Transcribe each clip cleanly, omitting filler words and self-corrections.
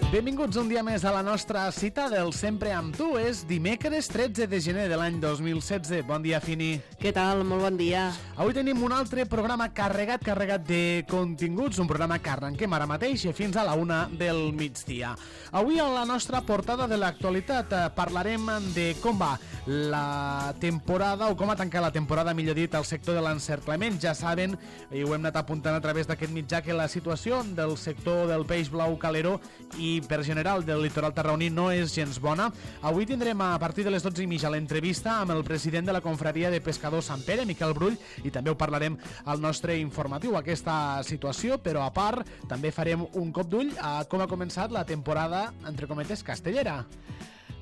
Benvinguts un dia més a la nostra cita del Sempre amb tu. És dimecres 13 de gener de l'any 2016. Bon dia, Fini. Què tal? Molt bon dia. Avui tenim un altre programa carregat de continguts, un programa que arrenquem ara mateix fins a la 1 del migdia. Avui a la nostra portada de l'actualitat parlarem de com va la temporada, o com ha tancat la temporada, millor dit, al sector de l'encerclament. Ja saben, i ho hem anat apuntant a través d'aquest mitjà, que la situació del sector del peix blau calero i per general del litoral tarragoní no és gens bona. Avui tindrem a partir de les 12:30 l'entrevista amb el president de la confraria de pescadors Sant Pere, Miquel Brull, i també ho parlarem al nostre informatiu, aquesta situació, però a part també farem un cop d'ull a com ha començat la temporada, entre cometes, castellera.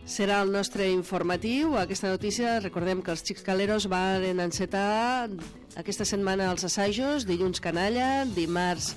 Serà el nostre informatiu. Aquesta notícia, recordem que els xics caleros van encetar aquesta setmana els assajos, dilluns canalla, dimarts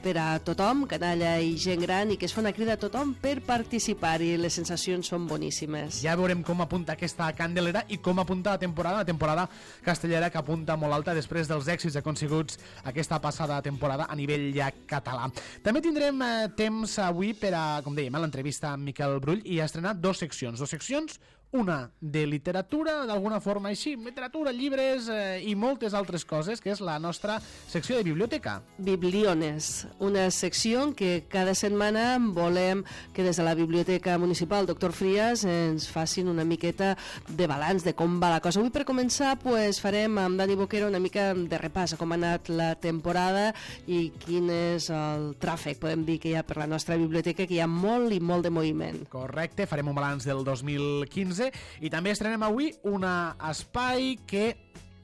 per a tothom, canalla i gent gran, i que es fa una crida a tothom per participar, i les sensacions són boníssimes. Ja veurem com apunta aquesta candelera i com apunta la temporada castellera, que apunta molt alta després dels èxits aconseguts aquesta passada temporada a nivell ja català. També tindrem temps avui per a, com dèiem, l'entrevista amb Miquel Brull, i ha estrenat dues seccions, una de literatura, d'alguna forma així, literatura, llibres i moltes altres coses, que és la nostra secció de biblioteca. Bibliones, una secció en què cada setmana volem que des de la Biblioteca Municipal Doctor Frías ens facin una miqueta de balanç de com va la cosa. Avui, per començar, farem amb Dani Boquero una mica de repàs a com ha anat la temporada i quin és el tràfic, podem dir, que hi ha per la nostra biblioteca, que hi ha molt i molt de moviment. Correcte, farem un balanç del 2015 i també estrenem avui un espai que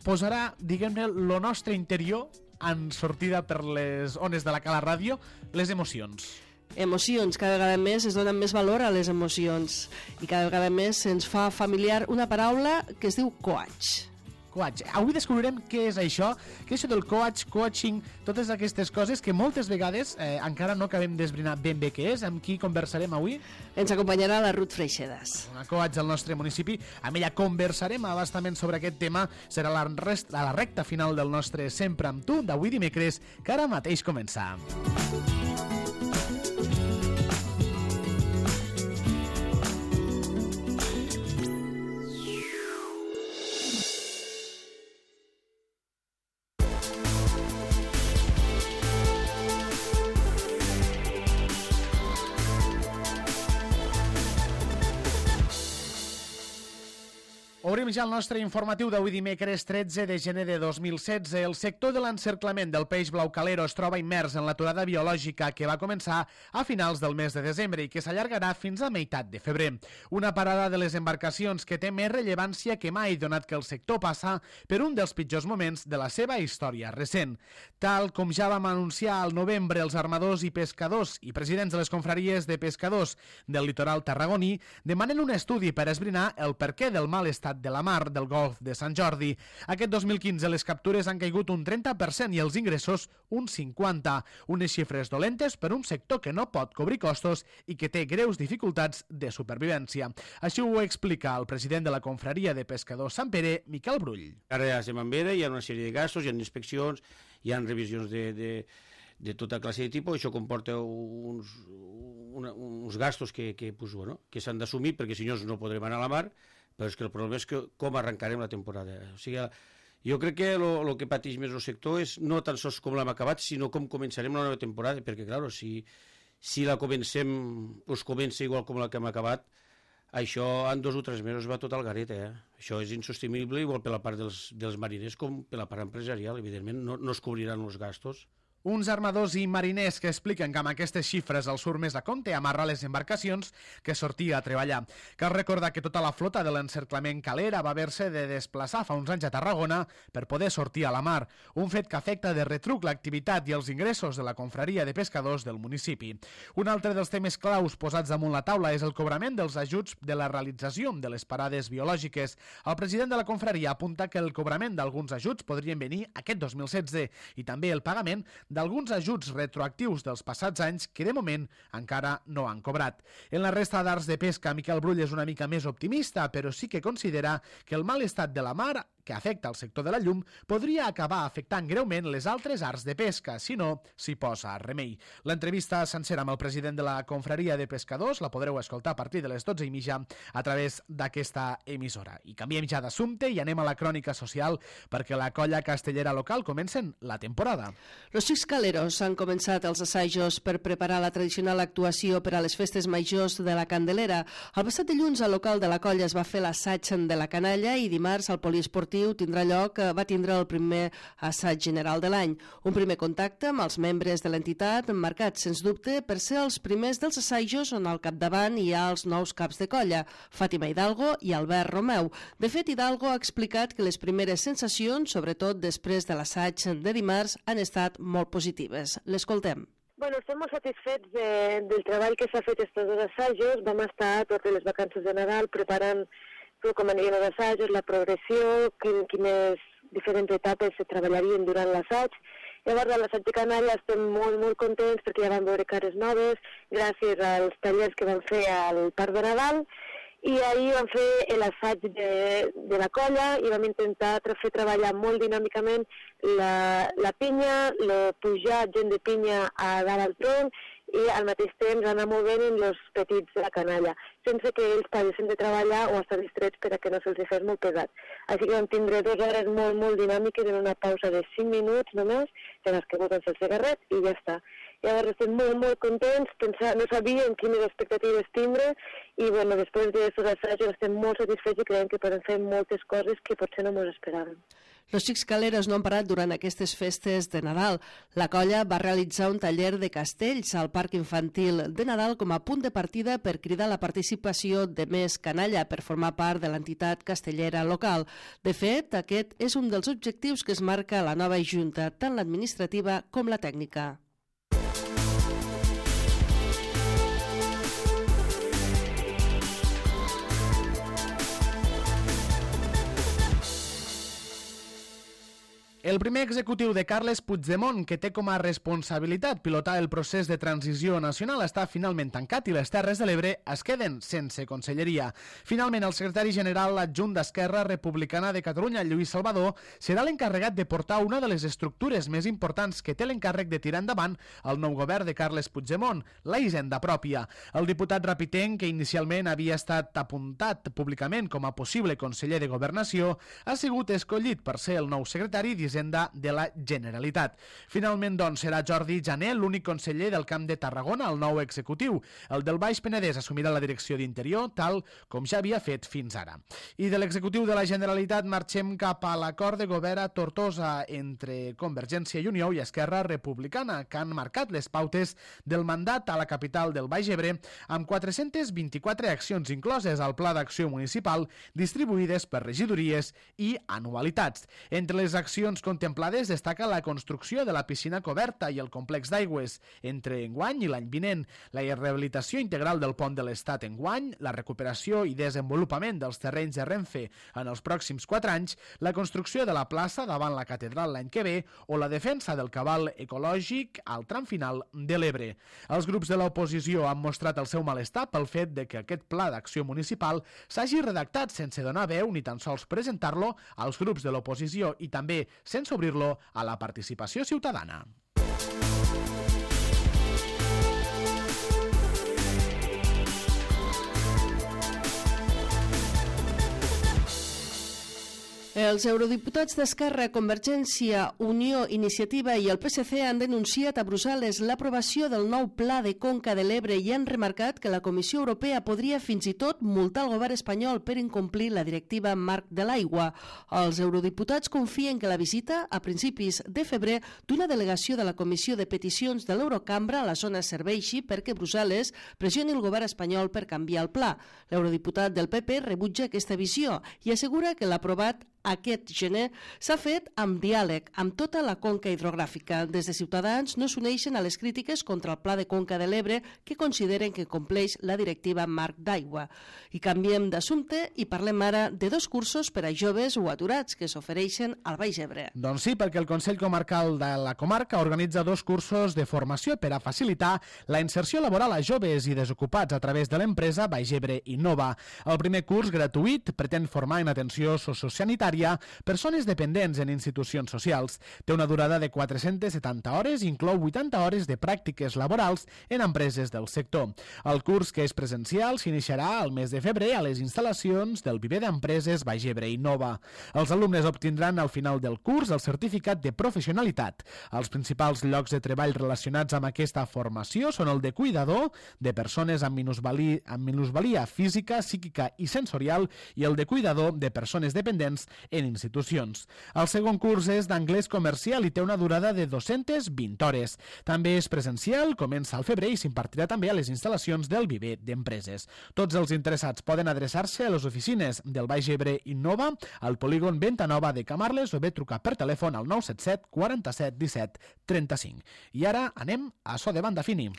posarà, diguem-ne, lo nostre interior en sortida per les ones de la Cala Ràdio, les emocions. Emocions, cada vegada més es donen més valor a les emocions i cada vegada més se'ns fa familiar una paraula que es diu coach. Coach. Avui descobrirem què és això del coach, coaching, totes aquestes coses que moltes vegades encara no acabem d'esbrinar ben bé què és. Amb qui conversarem avui? Ens acompanyarà la Ruth Freixedas, una coach del nostre municipi. Amb ella conversarem abastament sobre aquest tema. Serà la recta final del nostre Sempre amb tu d'avui dimecres, que ara mateix comença. Obrim ja el nostre informatiu d'avui dimecres 13 de gener de 2016. El sector de l'encerclament del peix blau calero es troba immers en l'aturada biològica que va començar a finals del mes de desembre i que s'allargarà fins a meitat de febrer. Una parada de les embarcacions que té més rellevància que mai, donat que el sector passa per un dels pitjors moments de la seva història recent. Tal com ja vam anunciar al novembre, els armadors i pescadors i presidents de les confraries de pescadors del litoral tarragoní demanen un estudi per esbrinar el perquè del mal estat de la mar del golf de Sant Jordi. Aquest 2015 les captures han caigut un 30% i els ingressos un 50%. Unes xifres dolentes per un sector que no pot cobrir costos i que té greus dificultats de supervivència. Així ho explica el president de la confraria de pescadors Sant Pere, Miquel Brull. Ara ja se m'envera, hi ha una sèrie de gastos, hi ha inspeccions, hi ha revisions de tota classe de tipus. Això comporta uns gastos que s'han d'assumir, perquè si no podrem anar a la mar, però és que el problema és com arrencarem la temporada. O sigui, jo crec que el que pateix més el sector és no tan sols com l'hem acabat, sinó com començarem la nova temporada, perquè, clar, si la comencem, comença igual com la que hem acabat, això en 2 o 3 mesos va tot al garet, Això és insostenible, igual per la part dels mariners com per la part empresarial. Evidentment, no es cobriran els gastos. Uns armadors i mariners que expliquen que amb aquestes xifres els surt més a compte amarrar les embarcacions que sortir a treballar. Cal recordar que tota la flota de l'encerclament calera va haver-se de desplaçar fa uns anys a Tarragona per poder sortir a la mar, un fet que afecta de retruc l'activitat i els ingressos de la confraria de pescadors del municipi. Un altre dels temes claus posats damunt la taula és el cobrament dels ajuts de la realització de les parades biològiques. El president de la confraria apunta que el cobrament d'alguns ajuts podrien venir aquest 2016 i també el pagament d'alguns ajuts retroactius dels passats anys que de moment encara no han cobrat. En la resta d'arts de pesca, Miquel Brull és una mica més optimista, però sí que considera que el mal estat de la mar que afecta el sector de la llum podria acabar afectant greument les altres arts de pesca, si no s'hi posa remei. L'entrevista sencera amb el president de la Confraria de Pescadors la podreu escoltar a partir de les 12:30 a través d'aquesta emissora. I canviem ja d'assumpte i anem a la crònica social perquè la colla castellera local comencen la temporada. Los Xics Caleros han començat els assajos per preparar la tradicional actuació per a les festes majors de la Candelera. El passat dilluns al local de la colla es va fer l'assaig de la canalla i dimarts al poliesportiu va tindre el primer assaig general de l'any. Un primer contacte amb els membres de l'entitat marcat, sens dubte, per ser els primers dels assajos on al capdavant hi ha els nous caps de colla, Fàtima Hidalgo i Albert Romeu. De fet, Hidalgo ha explicat que les primeres sensacions, sobretot després de l'assaig de dimarts, han estat molt positives. L'escoltem. Bueno, estem molt satisfets del treball que s'ha fet estos dos assajos. Vam estar totes les vacances de Nadal preparant com anirien els assajos, la progressió, quines diferents etapes se treballarien durant l'assaig. Llavors, a l'assaig de Canalla estem molt contents perquè ja vam veure cares noves gràcies als tallers que vam fer al Parc de Nadal. I ahir vam fer l'assaig de la colla i vam intentar fer treballar molt dinàmicament la pinya, pujar gent de pinya a dalt al tronc i al mateix temps anar movent els petits de la canalla, sense que ells paguessin de treballar o estar distrets per a que no se'ls fes molt pesat. Així que vam tindre 2 hores molt dinàmiques en una pausa de 5 minuts només, en les que voten el cigarret i ja està. Llavors estem molt contents, no sabíem quines expectatives tindre i bueno, després d'aquests assajos estem molt satisfets i creiem que podem fer moltes coses que potser no ens esperàvem. Los Xics Caleros no han parat durant aquestes festes de Nadal. La colla va realitzar un taller de castells al Parc Infantil de Nadal com a punt de partida per cridar la participació de més canalla per formar part de l'entitat castellera local. De fet, aquest és un dels objectius que es marca la nova junta, tant l'administrativa com la tècnica. El primer executiu de Carles Puigdemont, que té com a responsabilitat pilotar el procés de transició nacional, està finalment tancat i les Terres de l'Ebre es queden sense conselleria. Finalment, el secretari general adjunt d'Esquerra Republicana de Catalunya, Lluís Salvador, serà l'encarregat de portar una de les estructures més importants que té l'encàrrec de tirar endavant el nou govern de Carles Puigdemont, la hisenda pròpia. El diputat rapitenc, que inicialment havia estat apuntat públicament com a possible conseller de Governació, ha sigut escollit per ser el nou secretari d'Hisenda de la Generalitat. Finalment, doncs, serà Jordi Jané l'únic conseller del Camp de Tarragona al nou executiu. El del Baix Penedès assumirà la direcció d'Interior, tal com ja havia fet fins ara. I de l'executiu de la Generalitat marxem cap a l'acord de govern a Tortosa entre Convergència i Unió i Esquerra Republicana, que han marcat les pautes del mandat a la capital del Baix Ebre amb 424 accions incloses al Pla d'Acció Municipal distribuïdes per regidories i anualitats. Entre les accions contemplades destaca la construcció de la piscina coberta i el complex d'aigües entre enguany i l'any vinent, la rehabilitació integral del pont de l'Estat enguany, la recuperació i desenvolupament dels terrenys de Renfe en els pròxims 4 anys, la construcció de la plaça davant la catedral l'any que ve o la defensa del cabal ecològic al tram final de l'Ebre. Els grups de l'oposició han mostrat el seu malestar pel fet de que aquest pla d'acció municipal s'hagi redactat sense donar veu ni tan sols presentar-lo als grups de l'oposició i també sense obrir-lo a la participació ciutadana. Els eurodiputats d'Esquerra, Convergència, Unió, Iniciativa i el PSC han denunciat a Brussel·les l'aprovació del nou Pla de Conca de l'Ebre i han remarcat que la Comissió Europea podria fins i tot multar el govern espanyol per incomplir la directiva marc de l'aigua. Els eurodiputats confien que la visita, a principis de febrer, d'una delegació de la Comissió de Peticions de l'Eurocambra a la zona serveixi perquè Brussel·les pressioni el govern espanyol per canviar el pla. L'eurodiputat del PP rebutja aquesta visió i assegura que l'aprovat aquest gener s'ha fet amb diàleg amb tota la conca hidrogràfica. Des de Ciutadans no s'uneixen a les crítiques contra el Pla de Conca de l'Ebre que consideren que compleix la directiva marc d'aigua. I canviem d'assumpte i parlem ara de 2 cursos per a joves o aturats que s'ofereixen al Baix Ebre. Doncs sí, perquè el Consell Comarcal de la comarca organitza 2 cursos de formació per a facilitar la inserció laboral a joves i desocupats a través de l'empresa Baix Ebre Innova. El primer curs, gratuït, pretén formar en atenció sociosanitària secundària, persones dependents en institucions socials. Té una durada de 470 hores i inclou 80 hores de pràctiques laborals en empreses del sector. El curs, que és presencial, s'iniciarà al mes de febrer a les instal·lacions del Viver d'Empreses Baix Ebre Innova. Els alumnes obtindran al final del curs el certificat de professionalitat. Els principals llocs de treball relacionats amb aquesta formació són el de cuidador de persones amb minusvalia física, psíquica i sensorial i el de cuidador de persones dependents en institucions. El segon curs és d'anglès comercial i té una durada de 220 hores. També és presencial, comença al febrer i s'impartirà també a les instal·lacions del Viver d'Empreses. Tots els interessats poden adreçar-se a les oficines del Baix Ebre Innova, al polígon Venta Nova de Camarles o bé trucar per telèfon al 977 47 17 35. I ara anem a so de banda fini.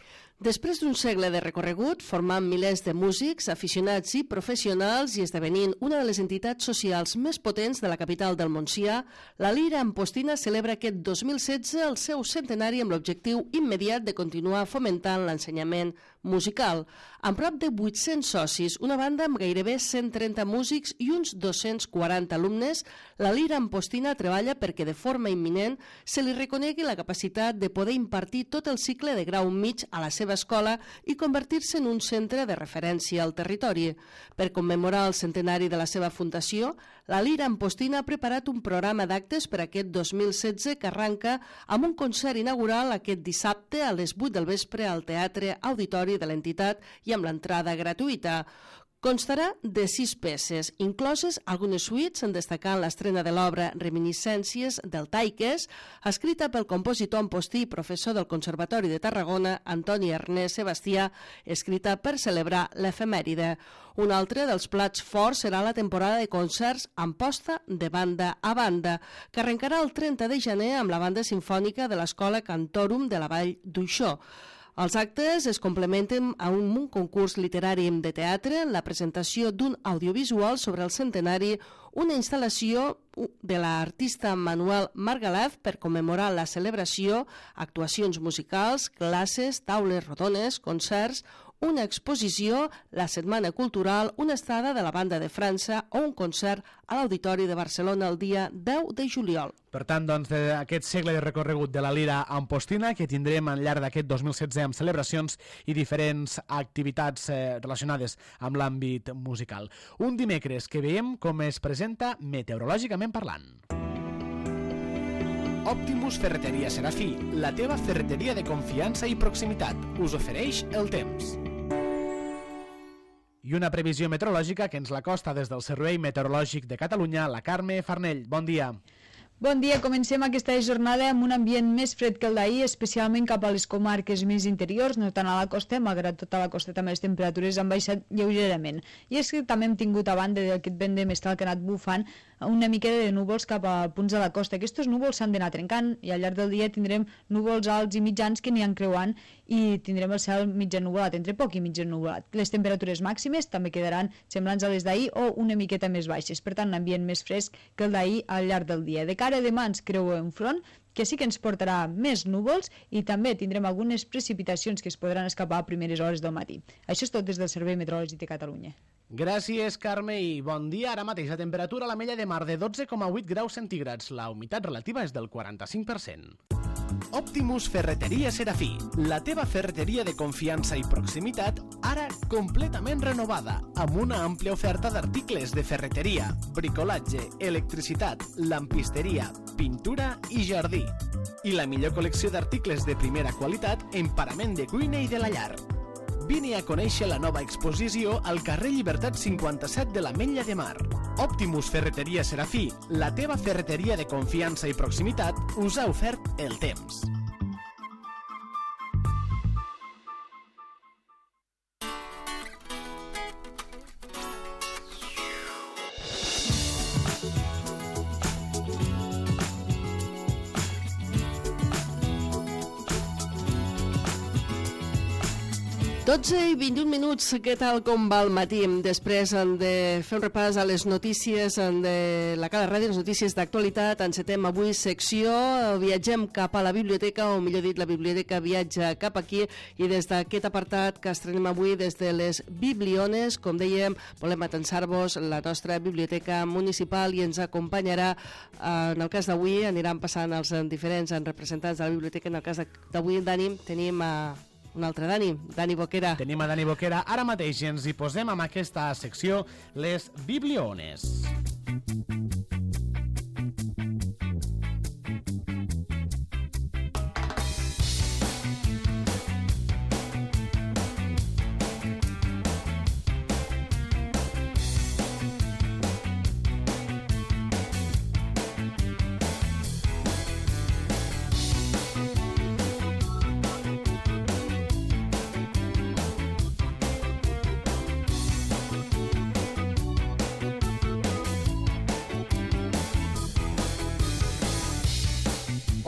Després d'un segle de recorregut, formant milers de músics, aficionats i professionals i esdevenint una de les entitats socials més potents de la capital del Montsià, la Lira Ampostina celebra aquest 2016 el seu centenari amb l'objectiu immediat de continuar fomentant l'ensenyament musical. Amb prop de 800 socis, una banda amb gairebé 130 músics i uns 240 alumnes, la Lira Ampostina treballa perquè de forma imminent se li reconegui la capacitat de poder impartir tot el cicle de grau mig a la seva escola i convertir-se en un centre de referència al territori. Per commemorar el centenari de la seva fundació, la Lira Ampostina ha preparat un programa d'actes per aquest 2016 que arranca amb un concert inaugural aquest dissabte a les 8 del vespre al Teatre Auditori de l'entitat i amb l'entrada gratuïta. Constarà de 6 peces, incloses algunes suites en destacant l'estrena de l'obra Reminiscències del Taiques, escrita pel compositor ampostí i professor del Conservatori de Tarragona, Antoni Ernest Sebastià, escrita per celebrar l'efemèride. Un altre dels plats forts serà la temporada de concerts Amposta de banda a banda, que arrencarà el 30 de gener amb la banda sinfònica de l'Escola Cantorum de la Vall d'Uixó. Els actes es complementen amb un concurs literari de teatre, la presentació d'un audiovisual sobre el centenari, una instal·lació de l'artista Manuel Margalef per commemorar la celebració, actuacions musicals, classes, taules rodones, concerts, una exposició, la Setmana Cultural, una estada de la Banda de França o un concert a l'Auditori de Barcelona el dia 10 de juliol. Per tant, doncs, d'aquest segle de recorregut de la Lira Ampostina que tindrem al llarg d'aquest 2016 amb celebracions i diferents activitats relacionades amb l'àmbit musical. Un dimecres que veiem com es presenta meteorològicament parlant. Optimus Ferreteria Serafí, la teva ferreteria de confiança i proximitat, us ofereix el temps. I una previsió meteorològica que ens la costa des del Servei Meteorològic de Catalunya, la Carme Farnell. Bon dia. Bon dia, comencem aquesta jornada amb un ambient més fred que el d'ahir, especialment cap a les comarques més interiors, no tant a la costa, malgrat tota la costa també les temperatures han baixat lleugerament. I és que també hem tingut a banda d'aquest vent de mestral que ha anat bufant una mica de núvols cap a punts de la costa. Aquests núvols s'han d'anar trencant i al llarg del dia tindrem núvols alts i mitjans que aniran creuant i tindrem el cel mig ennuvolat, entre poc i mig ennuvolat. Les temperatures màximes també quedaran semblants a les d'ahir o una miqueta més baixes, per tant, un ambient més fresc que el d'ahir al llarg del dia. De cara a demà ens creuem un front que sí que ens portarà més núvols i també tindrem algunes precipitacions que es podran escapar a primeres hores del matí. Això és tot des del Servei Meteorològic de Catalunya. Gràcies, Carme, i bon dia. Ara mateix la temperatura a la Mella de Mar de 12,8 graus centígrads. La humitat relativa és del 45%. Optimus Ferreteria Serafí, la teva ferreteria de confiança i proximitat, ara completament renovada, amb una àmplia oferta d'articles de ferreteria, bricolatge, electricitat, lampisteria, pintura i jardí. I la millor col·lecció d'articles de primera qualitat en parament de cuina i de la llar. Vine a conèixer la nova exposició al carrer Llibertat 57 de l'Ametlla de Mar. Optimus Ferreteria Serafí, la teva ferreteria de confiança i proximitat, us ha ofert el temps. 12:21, què tal, com va el matí? Després de fer un repàs a les notícies de la Cala Ràdio, les notícies d'actualitat, encetem avui secció, viatgem cap a la biblioteca, o millor dit, la biblioteca viatja cap aquí, i des d'aquest apartat que estrenem avui des de les Bibliones, com dèiem, volem atensar-vos la nostra biblioteca municipal i ens acompanyarà, en el cas d'avui, aniran passant els diferents representants de la biblioteca. En el cas d'avui, Dani, tenim un altre Dani Boquera. Tenim a Dani Boquera. Ara mateix ens hi posem amb aquesta secció, les Bibliones.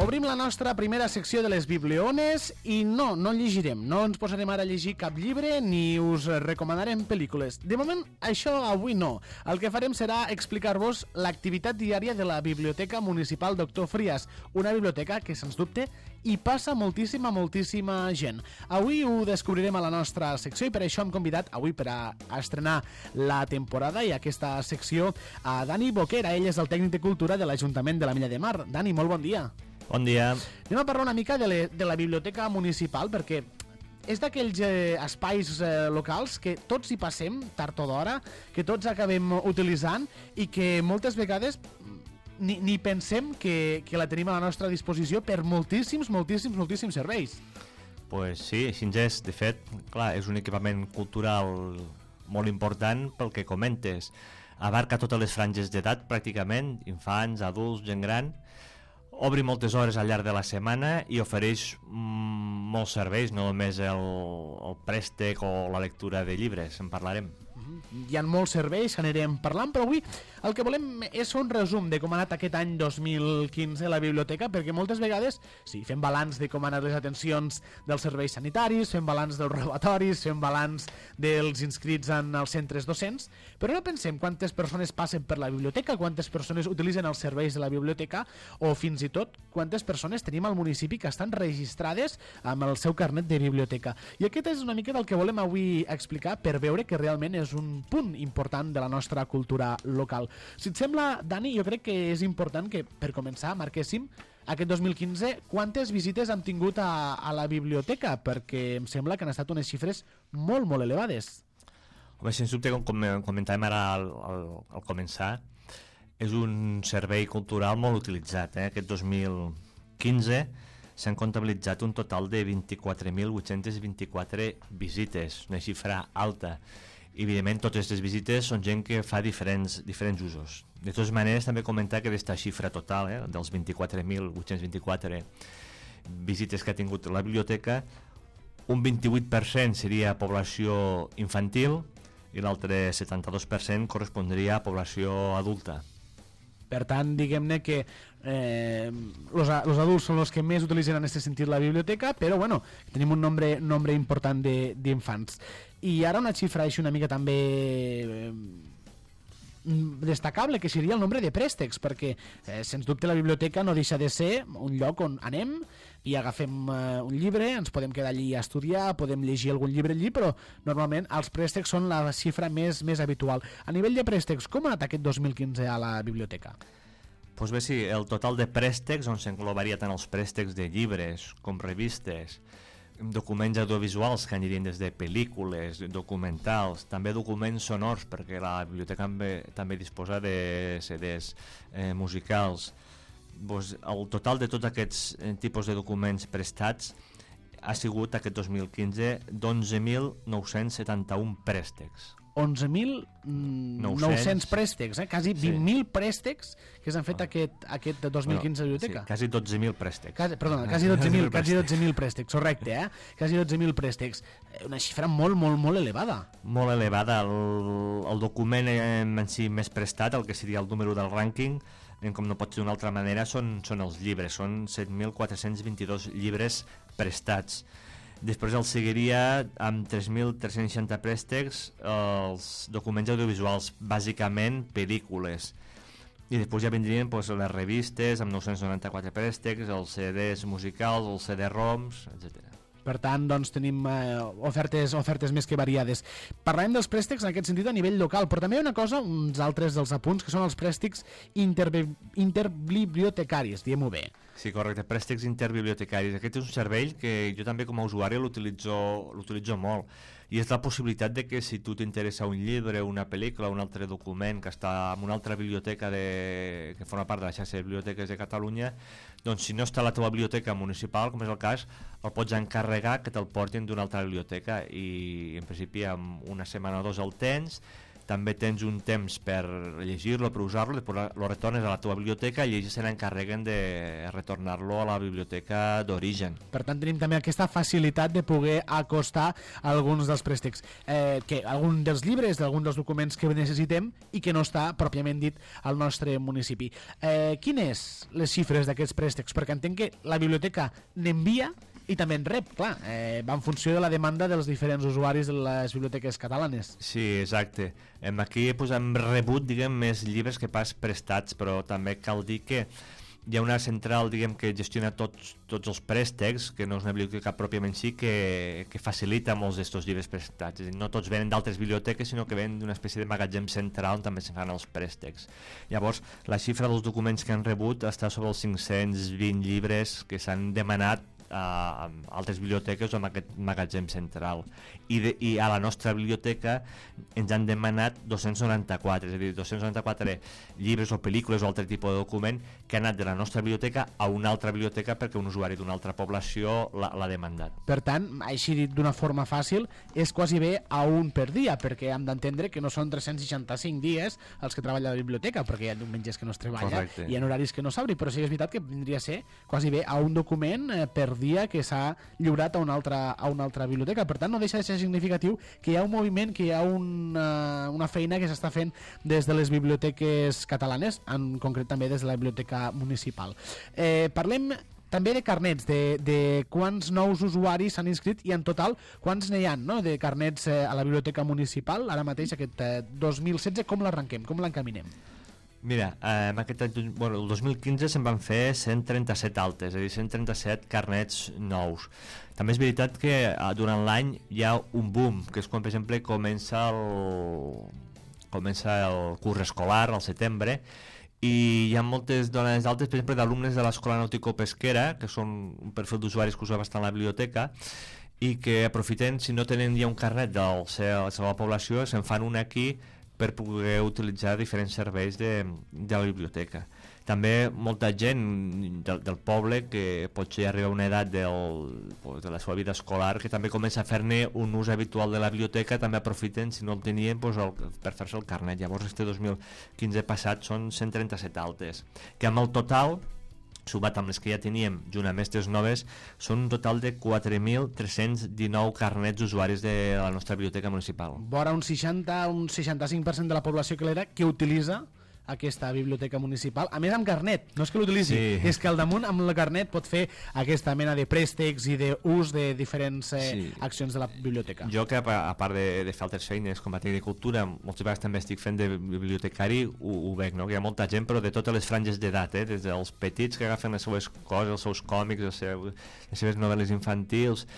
Obrim la nostra primera secció de les Bibliones i no llegirem, no ens posarem ara a llegir cap llibre ni us recomanarem pel·lícules. De moment, això avui no. El que farem serà explicar-vos l'activitat diària de la Biblioteca Municipal Doctor Frías, una biblioteca que, sens dubte, hi passa moltíssima gent. Avui ho descobrirem a la nostra secció i per això hem convidat avui per a estrenar la temporada i aquesta secció a Dani Boquera. Ell és el tècnic de cultura de l'Ajuntament de la Milla de Mar. Dani, molt bon dia. Bon dia. Anem a parlar una mica de la biblioteca municipal, perquè és d'aquells espais locals que tots hi passem tard o d'hora, que tots acabem utilitzant i que moltes vegades ni pensem que la tenim a la nostra disposició per moltíssims serveis. Pues sí, així és. De fet, clar, és un equipament cultural molt important pel que comentes. Abarca totes les franges d'edat, pràcticament, infants, adults, gent gran. Obri moltes hores al llarg de la setmana i ofereix molts serveis, no només el préstec o la lectura de llibres, en parlarem. Hi ha molts serveis, anirem parlant, però avui el que volem és un resum de com ha anat aquest any 2015 a la biblioteca, perquè moltes vegades, sí, fem balanç de com han anat les atencions dels serveis sanitaris, fem balanç dels robatoris, fem balanç dels inscrits en els centres docents, però no pensem quantes persones passen per la biblioteca, quantes persones utilitzen els serveis de la biblioteca, o fins i tot quantes persones tenim al municipi que estan registrades amb el seu carnet de biblioteca. I aquest és una mica del que volem avui explicar per veure que realment és un punt important de la nostra cultura local. Si et sembla, Dani, jo crec que és important que, per començar, marquéssim aquest 2015 quantes visites hem tingut a la biblioteca, perquè em sembla que han estat unes xifres molt elevades. Home, sens dubte, com comentàvem ara al començar, és un servei cultural molt utilitzat. Aquest 2015 s'han comptabilitzat un total de 24.824 visites, una xifra alta. Evidentment, totes aquestes visites són gent que fa diferents usos. De totes maneres, també comentar que d'esta xifra total, dels 24.824 visites que ha tingut la biblioteca, un 28% seria població infantil i l'altre 72% correspondria a població adulta. Per tant, diguem-ne que los adults són els que més utilitzen en aquest sentit la biblioteca, però bueno, tenim un nombre important d'infants. I ara una xifra així una mica també destacable, que seria el nombre de préstecs, perquè sens dubte la biblioteca no deixa de ser un lloc on anem i agafem un llibre, ens podem quedar allí a estudiar, podem llegir algun llibre allí, però normalment els préstecs són la xifra més habitual. A nivell de préstecs, com ha anat aquest 2015 a la biblioteca? Doncs bé, sí, el total de préstecs, on s'englobaria tant els préstecs de llibres com revistes, documents audiovisuals que anirien des de pel·lícules, documentals, també documents sonors, perquè la biblioteca també disposa de CDs musicals. Doncs el total de tots aquests tipus de documents prestats ha sigut aquest 2015 d'11.971 préstecs. 11.900 préstecs, quasi 20.000 préstecs que s'han fet aquest 2015 a la biblioteca. Sí, quasi 12.000 préstecs. Quasi 12.000 préstecs, correcte, quasi 12.000 préstecs. Una xifra molt elevada. Molt elevada. El document en si més prestat, el que seria el número del rànquing, com no pot ser d'una altra manera, són els llibres. Són 7.422 llibres prestats. Després el seguiria amb 3.360 préstecs els documents audiovisuals, bàsicament pel·lícules. I després ja vindrien pues, les revistes amb 994 préstecs, els CDs musicals, els CD-ROMs, etc. Per tant, doncs, tenim ofertes més que variades. Parlem dels préstecs en aquest sentit a nivell local, però també hi ha una cosa, uns altres dels apunts, que són els préstecs interbibliotecaris, diguem-ho bé. Sí, correcte, préstecs interbibliotecaris. Aquest és un servei que jo també com a usuari l'utilitzo molt. I és la possibilitat de que si tu t'interessa un llibre, una pel·lícula, un altre document que està en una altra biblioteca que forma part de la xarxa de biblioteques de Catalunya, doncs si no està a la teva biblioteca municipal, com és el cas, el pots encarregar que te'l portin d'una altra biblioteca i en principi en una setmana o dos el tens. També tens un temps per llegir-lo, per usar-lo, després lo retornes a la teva biblioteca i ells se n'encarreguen de retornar-lo a la biblioteca d'origen. Per tant, tenim també aquesta facilitat de poder acostar alguns dels préstecs, algun dels llibres, d'algun dels documents que necessitem i que no està pròpiament dit al nostre municipi. Quines les xifres d'aquests préstecs? Perquè entenc que la biblioteca n'envia i també en rep, clar, va en funció de la demanda dels diferents usuaris de les biblioteques catalanes. Sí, exacte. Aquí pues, hem rebut, diguem, més llibres que pas prestats, però també cal dir que hi ha una central, diguem, que gestiona tots els préstecs, que no és una biblioteca pròpiament sí, que facilita molts d'estos llibres prestats. És a dir, no tots venen d'altres biblioteques, sinó que venen d'una espècie de magatzem central on també se fan els préstecs. Llavors, la xifra dels documents que han rebut està sobre els 520 llibres que s'han demanat a altres biblioteques o en aquest magatzem central i a la nostra biblioteca ens han demanat 294, és a dir, 294 llibres o pel·lícules o altre tipus de document que han anat de la nostra biblioteca a una altra biblioteca perquè un usuari d'una altra població l'ha demandat. Per tant, així dit d'una forma fàcil, és quasi bé a un per dia, perquè hem d'entendre que no són 365 dies els que treballa la biblioteca, perquè hi ha diumenges que no es treballa. Correcte. I hi ha horaris que no s'obri, però sí que és veritat que vindria a ser quasi bé a un document per dia que s'ha lliurat a una altra biblioteca. Per tant, no deixa de ser significatiu que hi ha un moviment, que hi ha una feina que s'està fent des de les biblioteques catalanes, en concret també des de la biblioteca municipal. Parlem també de carnets, de quants nous usuaris s'han inscrit i en total quants n'hi ha, no?, de carnets a la biblioteca municipal. Ara mateix aquest 2016, com l'arrenquem, com l'encaminem? Mira, el 2015 se'n van fer 137 altes, és a dir, 137 carnets nous. També és veritat que durant l'any hi ha un boom, que és quan, per exemple, comença el curs escolar, al setembre, i hi ha moltes dones d'altes, per exemple, d'alumnes de l'Escola Nàutico-Pesquera, que són un perfil d'usuaris que usa bastant la biblioteca, i que aprofiten, si no tenen ja un carnet de la seva població, se'n fan un aquí per poder utilitzar diferents serveis de la biblioteca. També molta gent del poble que potser arriba a una edat de la seva vida escolar que també comença a fer-ne un ús habitual de la biblioteca, també aprofiten, si no el tenien, per fer-se el carnet. Llavors, este 2015 passat són 137 altes, que amb el total, sumat amb les que ja teníem, junt amb aquestes noves, són un total de 4.319 carnets d'usuaris de la nostra biblioteca municipal. Vora un 65% de la població que utilitza aquesta biblioteca municipal, a més amb carnet, no és que l'utilitzi, sí, és que al damunt amb el carnet pot fer aquesta mena de préstecs i d'ús de diferents accions de la biblioteca. Jo que a part de fer altres feines com a tècnic de cultura, moltes vegades també estic fent de bibliotecari, ho veig, no? Que hi ha molta gent, però de totes les franges d'edat, des dels petits que agafen les seves coses, els seus còmics, les seves novel·les infantils,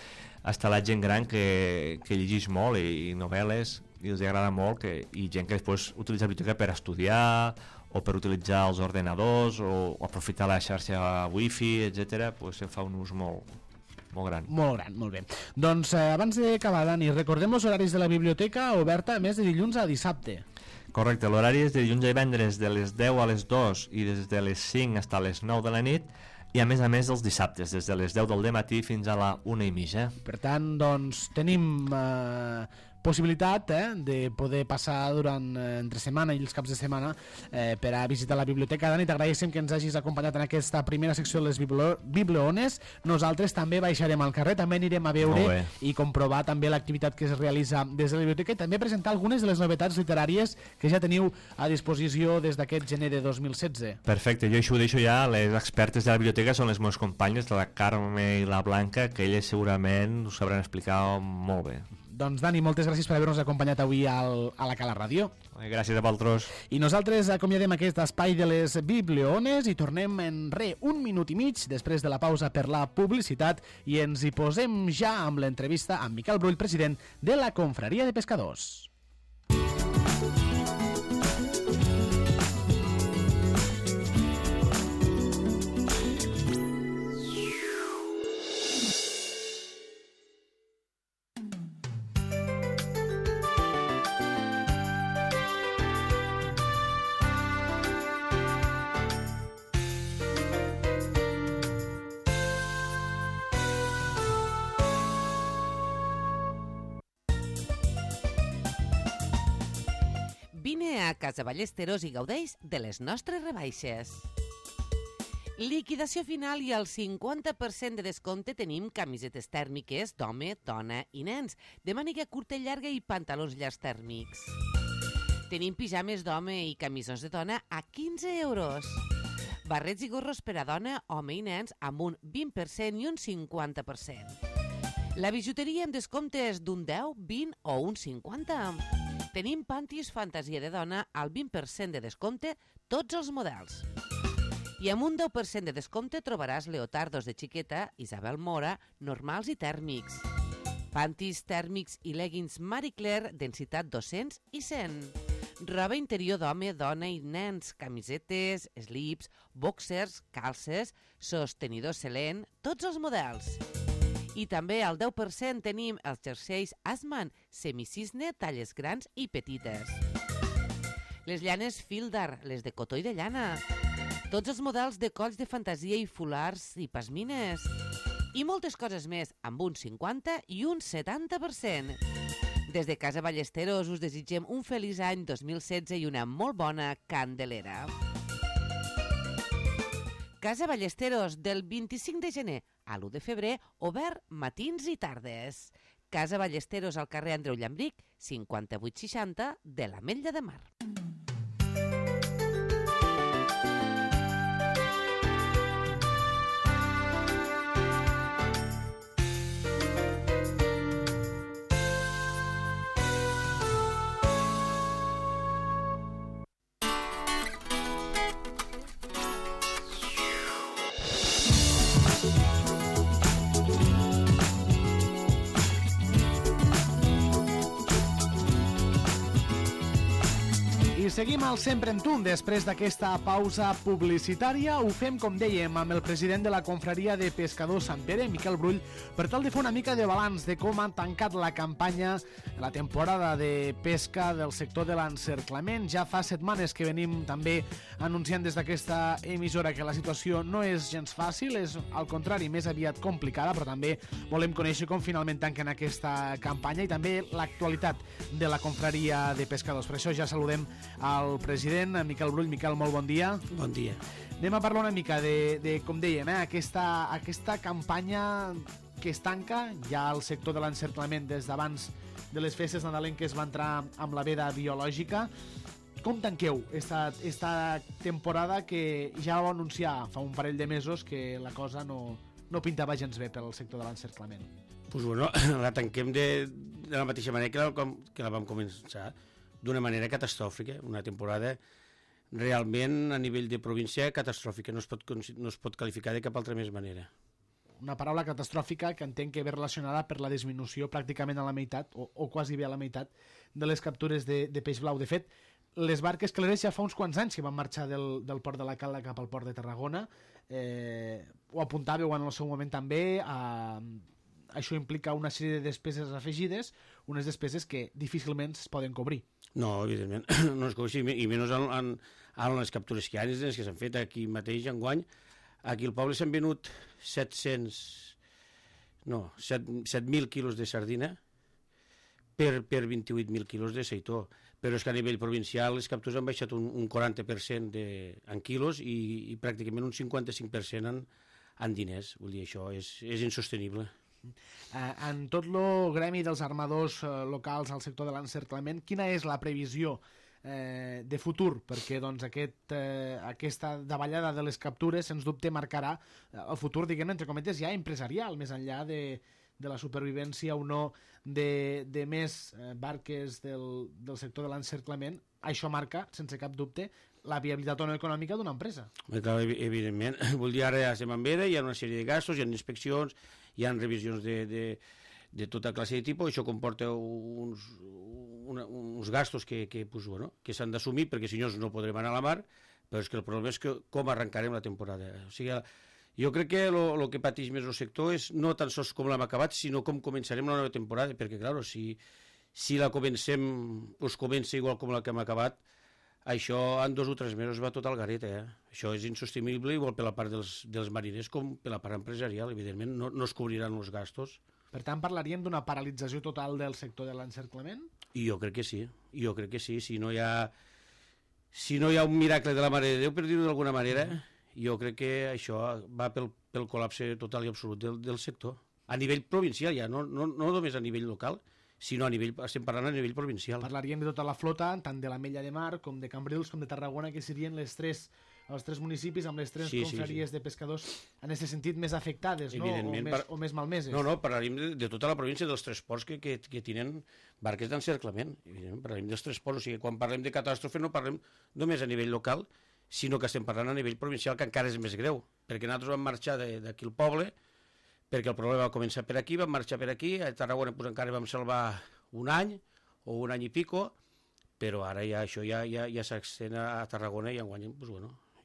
fins a la gent gran que llegeix molt i novel·les, i els agrada molt, i gent que després utilitza la biblioteca per estudiar o per utilitzar els ordenadors o aprofitar la xarxa wifi, etc. Se'n fa un ús molt gran. Molt gran, molt bé. Doncs abans d'acabar, Dani, recordem els horaris de la biblioteca oberta a més de dilluns a dissabte. Correcte, l'horari és de dilluns a divendres de les 10 a les 2 i des de les 5 fins a les 9 de la nit, i a més els dissabtes, des de les 10 del matí fins a la 1:30. Per tant, doncs, tenim possibilitat de poder passar durant entre setmana i els caps de setmana per a visitar la biblioteca. Dani, t'agraeixem que ens hagis acompanyat en aquesta primera secció de les bibliones. Nosaltres també baixarem al carrer, també anirem a veure i comprovar també l'activitat que es realitza des de la biblioteca i també presentar algunes de les novetats literàries que ja teniu a disposició des d'aquest gener de 2016. Perfecte, jo això ho deixo ja. Les expertes de la biblioteca són les meves companyes, la Carme i la Blanca, que elles segurament ho sabran explicar molt bé. Doncs Dani, moltes gràcies per haver-nos acompanyat avui a la Cala Ràdio. Gràcies a vosaltres. I nosaltres acomiadem aquest espai de les bibliones i tornem en un minut i mig després de la pausa per la publicitat i ens hi posem ja amb l'entrevista amb Miquel Brull, president de la Confraria de Pescadors. Vine a Casa Ballesteros i gaudeix de les nostres rebaixes. Liquidació final i al 50% de descompte tenim camisetes tèrmiques d'home, dona i nens, de màniga curta i llarga i pantalons llargs tèrmics. Tenim pijames d'home i camisons de dona a 15 euros. Barrets i gorros per a dona, home i nens amb un 20% i un 50%. La bijuteria amb descomptes d'un 10, 20 o un 50%. Tenim pantis fantasia de dona al 20% de descompte tots els models. I amb un 10% de descompte trobaràs leotardos de xiqueta, Isabel Mora, normals i tèrmics. Pantis tèrmics i leggings Marie Claire, densitat 200 i 100. Roba interior d'home, dona i nens, camisetes, slips, boxers, calces, sostenidors Selene, tots els models. I també al 10% tenim els jerseis Asman, semicisne, talles grans i petites. Les llanes Fildar, les de cotó i de llana. Tots els models de colls de fantasia i fulars i pasmines. I moltes coses més, amb un 50 i un 70%. Des de Casa Ballesteros us desitgem un feliç any 2016 i una molt bona Candelera. Casa Ballesteros, del 25 de gener a l'1 de febrer, obert matins i tardes. Casa Ballesteros al carrer Andreu Llambric, 5860 de l'Ametlla de Mar. I seguim al Sempre en Tu. Després d'aquesta pausa publicitària ho fem, com dèiem, amb el president de la Confraria de Pescadors Sant Pere, Miquel Brull, per tal de fer una mica de balanç de com han tancat la campanya, la temporada de pesca del sector de l'encerclament. Ja fa setmanes que venim també anunciant des d'aquesta emissora que la situació no és gens fàcil, és al contrari més aviat complicada, però també volem conèixer com finalment tanquen aquesta campanya i també l'actualitat de la Confraria de Pescadors. Per això ja saludem al president, Miquel Brull. Miquel, molt bon dia. Bon dia. Anem a parlar una mica de com dèiem, aquesta campanya que es tanca ja al sector de l'encerclament des d'abans de les festes nadalenques va entrar amb la veda biològica. Com tanqueu esta temporada que ja vau anunciar fa un parell de mesos que la cosa no pintava gens bé pel sector de l'encerclament? Pues bueno, la tanquem de la mateixa manera que la vam començar, d'una manera catastròfica, una temporada realment a nivell de província catastròfica, no es pot qualificar de cap altra més manera. Una paraula catastròfica que entenc que ve relacionada per la disminució pràcticament a la meitat, o quasi bé a la meitat, de les captures de peix blau. De fet, les barques clareres ja fa uns quants anys que van marxar del port de la Cala cap al port de Tarragona. Ho apuntàveu en el seu moment també. Això implica una sèrie de despeses afegides, unes despeses que difícilment es poden cobrir. No, evidentment, no es cobreix, i menys en les captures que hi ha, les que s'han fet aquí mateix enguany. Aquí al poble s'han venut 7.000 quilos de sardina per 28.000 quilos de seitó, però és que a nivell provincial les captures han baixat un 40% en quilos i pràcticament un 55% en diners. Vull dir, això és insostenible. En tot el gremi dels armadors locals al sector de l'encerclament, quina és la previsió de futur? Perquè doncs, aquesta davallada de les captures, sens dubte, marcarà el futur, diguem, entre cometes, ja empresarial, més enllà de la supervivència o no de més barques del sector de l'encerclament. Això marca, sense cap dubte, la viabilitat o no econòmica d'una empresa. Clar, evidentment. Vull dir, ara ja estem en veda, hi ha una sèrie de gastos, hi ha inspeccions, hi ha revisions de tota classe de tipus, això comporta uns gastos que s'han d'assumir, perquè si no podrem anar a la mar, però és que el problema és com arrencarem la temporada. O sigui, jo crec que el que pateix més el sector és no tan sols com l'hem acabat, sinó com començarem la nova temporada, perquè, clar, si la comença igual com la que hem acabat, això en 2 o 3 mesos va tot al garet, Això és insostenible, igual per la part dels mariners com per la part empresarial. Evidentment, no es cobriran els gastos. Per tant, parlaríem d'una paralització total del sector de l'encerclament? I jo crec que sí, Si no hi ha un miracle de la Mare de Déu, per dir-ho d'alguna manera, jo crec que això va pel col·lapse total i absolut del sector. A nivell provincial ja, no només a nivell local, sinó estem parlant a nivell provincial. Parlaríem de tota la flota, tant de l'Ametlla de Mar, com de Cambrils, com de Tarragona, que serien els tres municipis amb les tres confraries de pescadors en aquest sentit més afectades, no? O més malmeses. No, parlaríem de tota la província, dels 3 ports que tenen barques d'encerclament. Parlarem dels 3 ports, o sigui, quan parlem de catàstrofe no parlem només a nivell local, sinó que estem parlant a nivell provincial, que encara és més greu, perquè nosaltres vam marxar d'aquí al poble, perquè el problema va començar per aquí, vam marxar per aquí, a Tarragona encara vam salvar un any, o un any i pico, però ara això ja s'extén a Tarragona i enguany,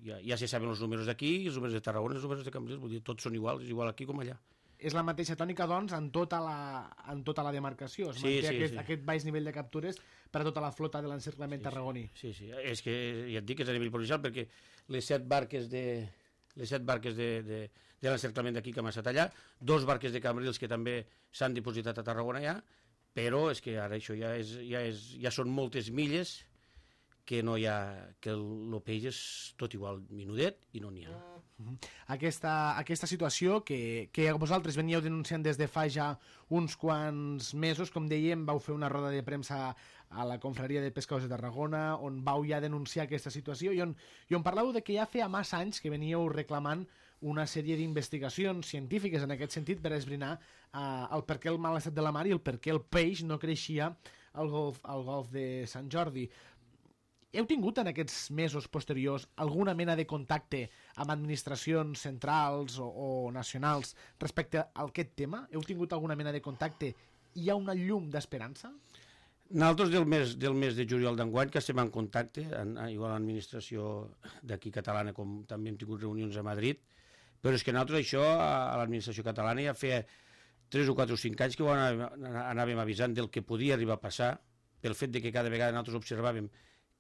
ja se saben els números d'aquí, els números de Tarragona, els números de Cambrils, vull dir, tots són iguals, és igual aquí com allà. És la mateixa tònica, doncs, en tota la demarcació. Es manté aquest baix nivell de captures per a tota la flota de l'encerclament tarragoní. Sí, és que ja et dic que és a nivell provincial, perquè les 7 barques de l'encerclament d'aquí que hem estat allà, 2 barques de Cambrils que també s'han dipositat a Tarragona ja, però és que ara això ja són moltes milles que el peix és tot igual minudet i no n'hi ha. Aquesta situació que vosaltres veníeu denunciant des de fa ja uns quants mesos, com dèiem, vau fer una roda de premsa a la confraria de pescadors de Tarragona on vau ja denunciar aquesta situació i on parleu de que ja feia massa anys que veníeu reclamant una sèrie d'investigacions científiques en aquest sentit per esbrinar el per què el mal estat de la mar i el per què el peix no creixia al golf de Sant Jordi. Heu tingut en aquests mesos posteriors alguna mena de contacte amb administracions centrals o nacionals respecte a aquest tema? Heu tingut alguna mena de contacte? Hi ha una llum d'esperança? Nosaltres del mes de juliol d'enguany que estem en contacte, igual a l'administració d'aquí catalana com també hem tingut reunions a Madrid, però és que nosaltres això a l'administració catalana ja feia 3 o 4 o 5 anys que ho anàvem avisant del que podia arribar a passar, pel fet de que cada vegada nosaltres observàvem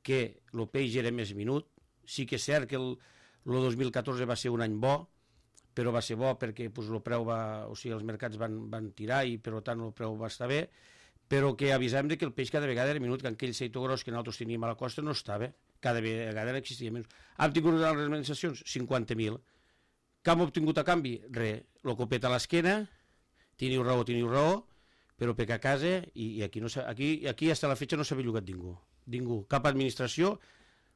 que el peix era més minut. Sí que és cert que el 2014 va ser un any bo, però va ser bo perquè el preu els mercats van tirar i per tant el preu va estar bé, però que avisàvem que el peix cada vegada era minut, que aquell seitó gros que nosaltres teníem a la costa no estava, cada vegada existia menys. Hem tingut les administracions 50.000. Què hem obtingut a canvi? Res, el copet a l'esquena, teniu raó, però perquè a casa, i aquí fins a la fetge no s'ha bellugat ningú, cap administració,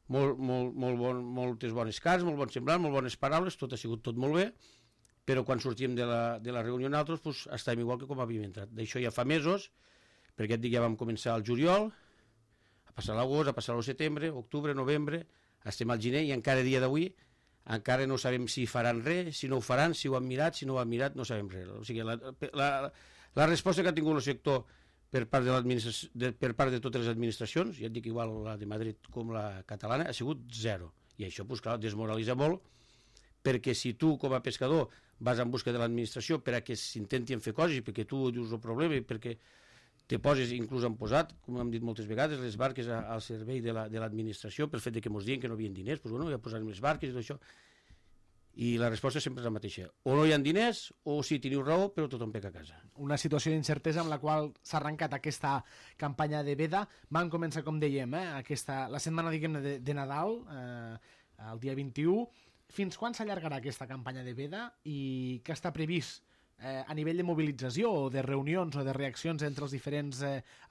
moltes bones cares, molt bons semblants, molt bones paraules, tot ha sigut tot molt bé, però quan sortíem de la reunió nosaltres estàvem igual que com havíem entrat. D'això ja fa mesos, perquè et dic, ja vam començar al juliol, a passar l'agost, a passar el setembre, octubre, novembre, estem al gener i encara a dia d'avui encara no sabem si faran res, si no ho faran, si ho han mirat, si no ho han mirat, no sabem res. O sigui, la resposta que ha tingut el sector per part de totes les administracions, ja et dic igual la de Madrid com la catalana, ha sigut 0. I això, clar, desmoralitza molt, perquè si tu, com a pescador, vas en busca de l'administració per a que s'intentin fer coses, perquè tu dius el problema i perquè te poses, inclús han posat, com hem dit moltes vegades, les barques al servei de l'administració pel fet que ens diuen que no havien diners, doncs ja posarem les barques i tot això. I la resposta sempre és la mateixa. O no hi ha diners, o sí, teniu raó, però tothom peca a casa. Una situació d'incertesa amb la qual s'ha arrencat aquesta campanya de veda. Van començar, com dèiem, la setmana, diguem-ne, de Nadal, el dia 21. Fins quan s'allargarà aquesta campanya de veda i què està previst a nivell de mobilització o de reunions o de reaccions entre els diferents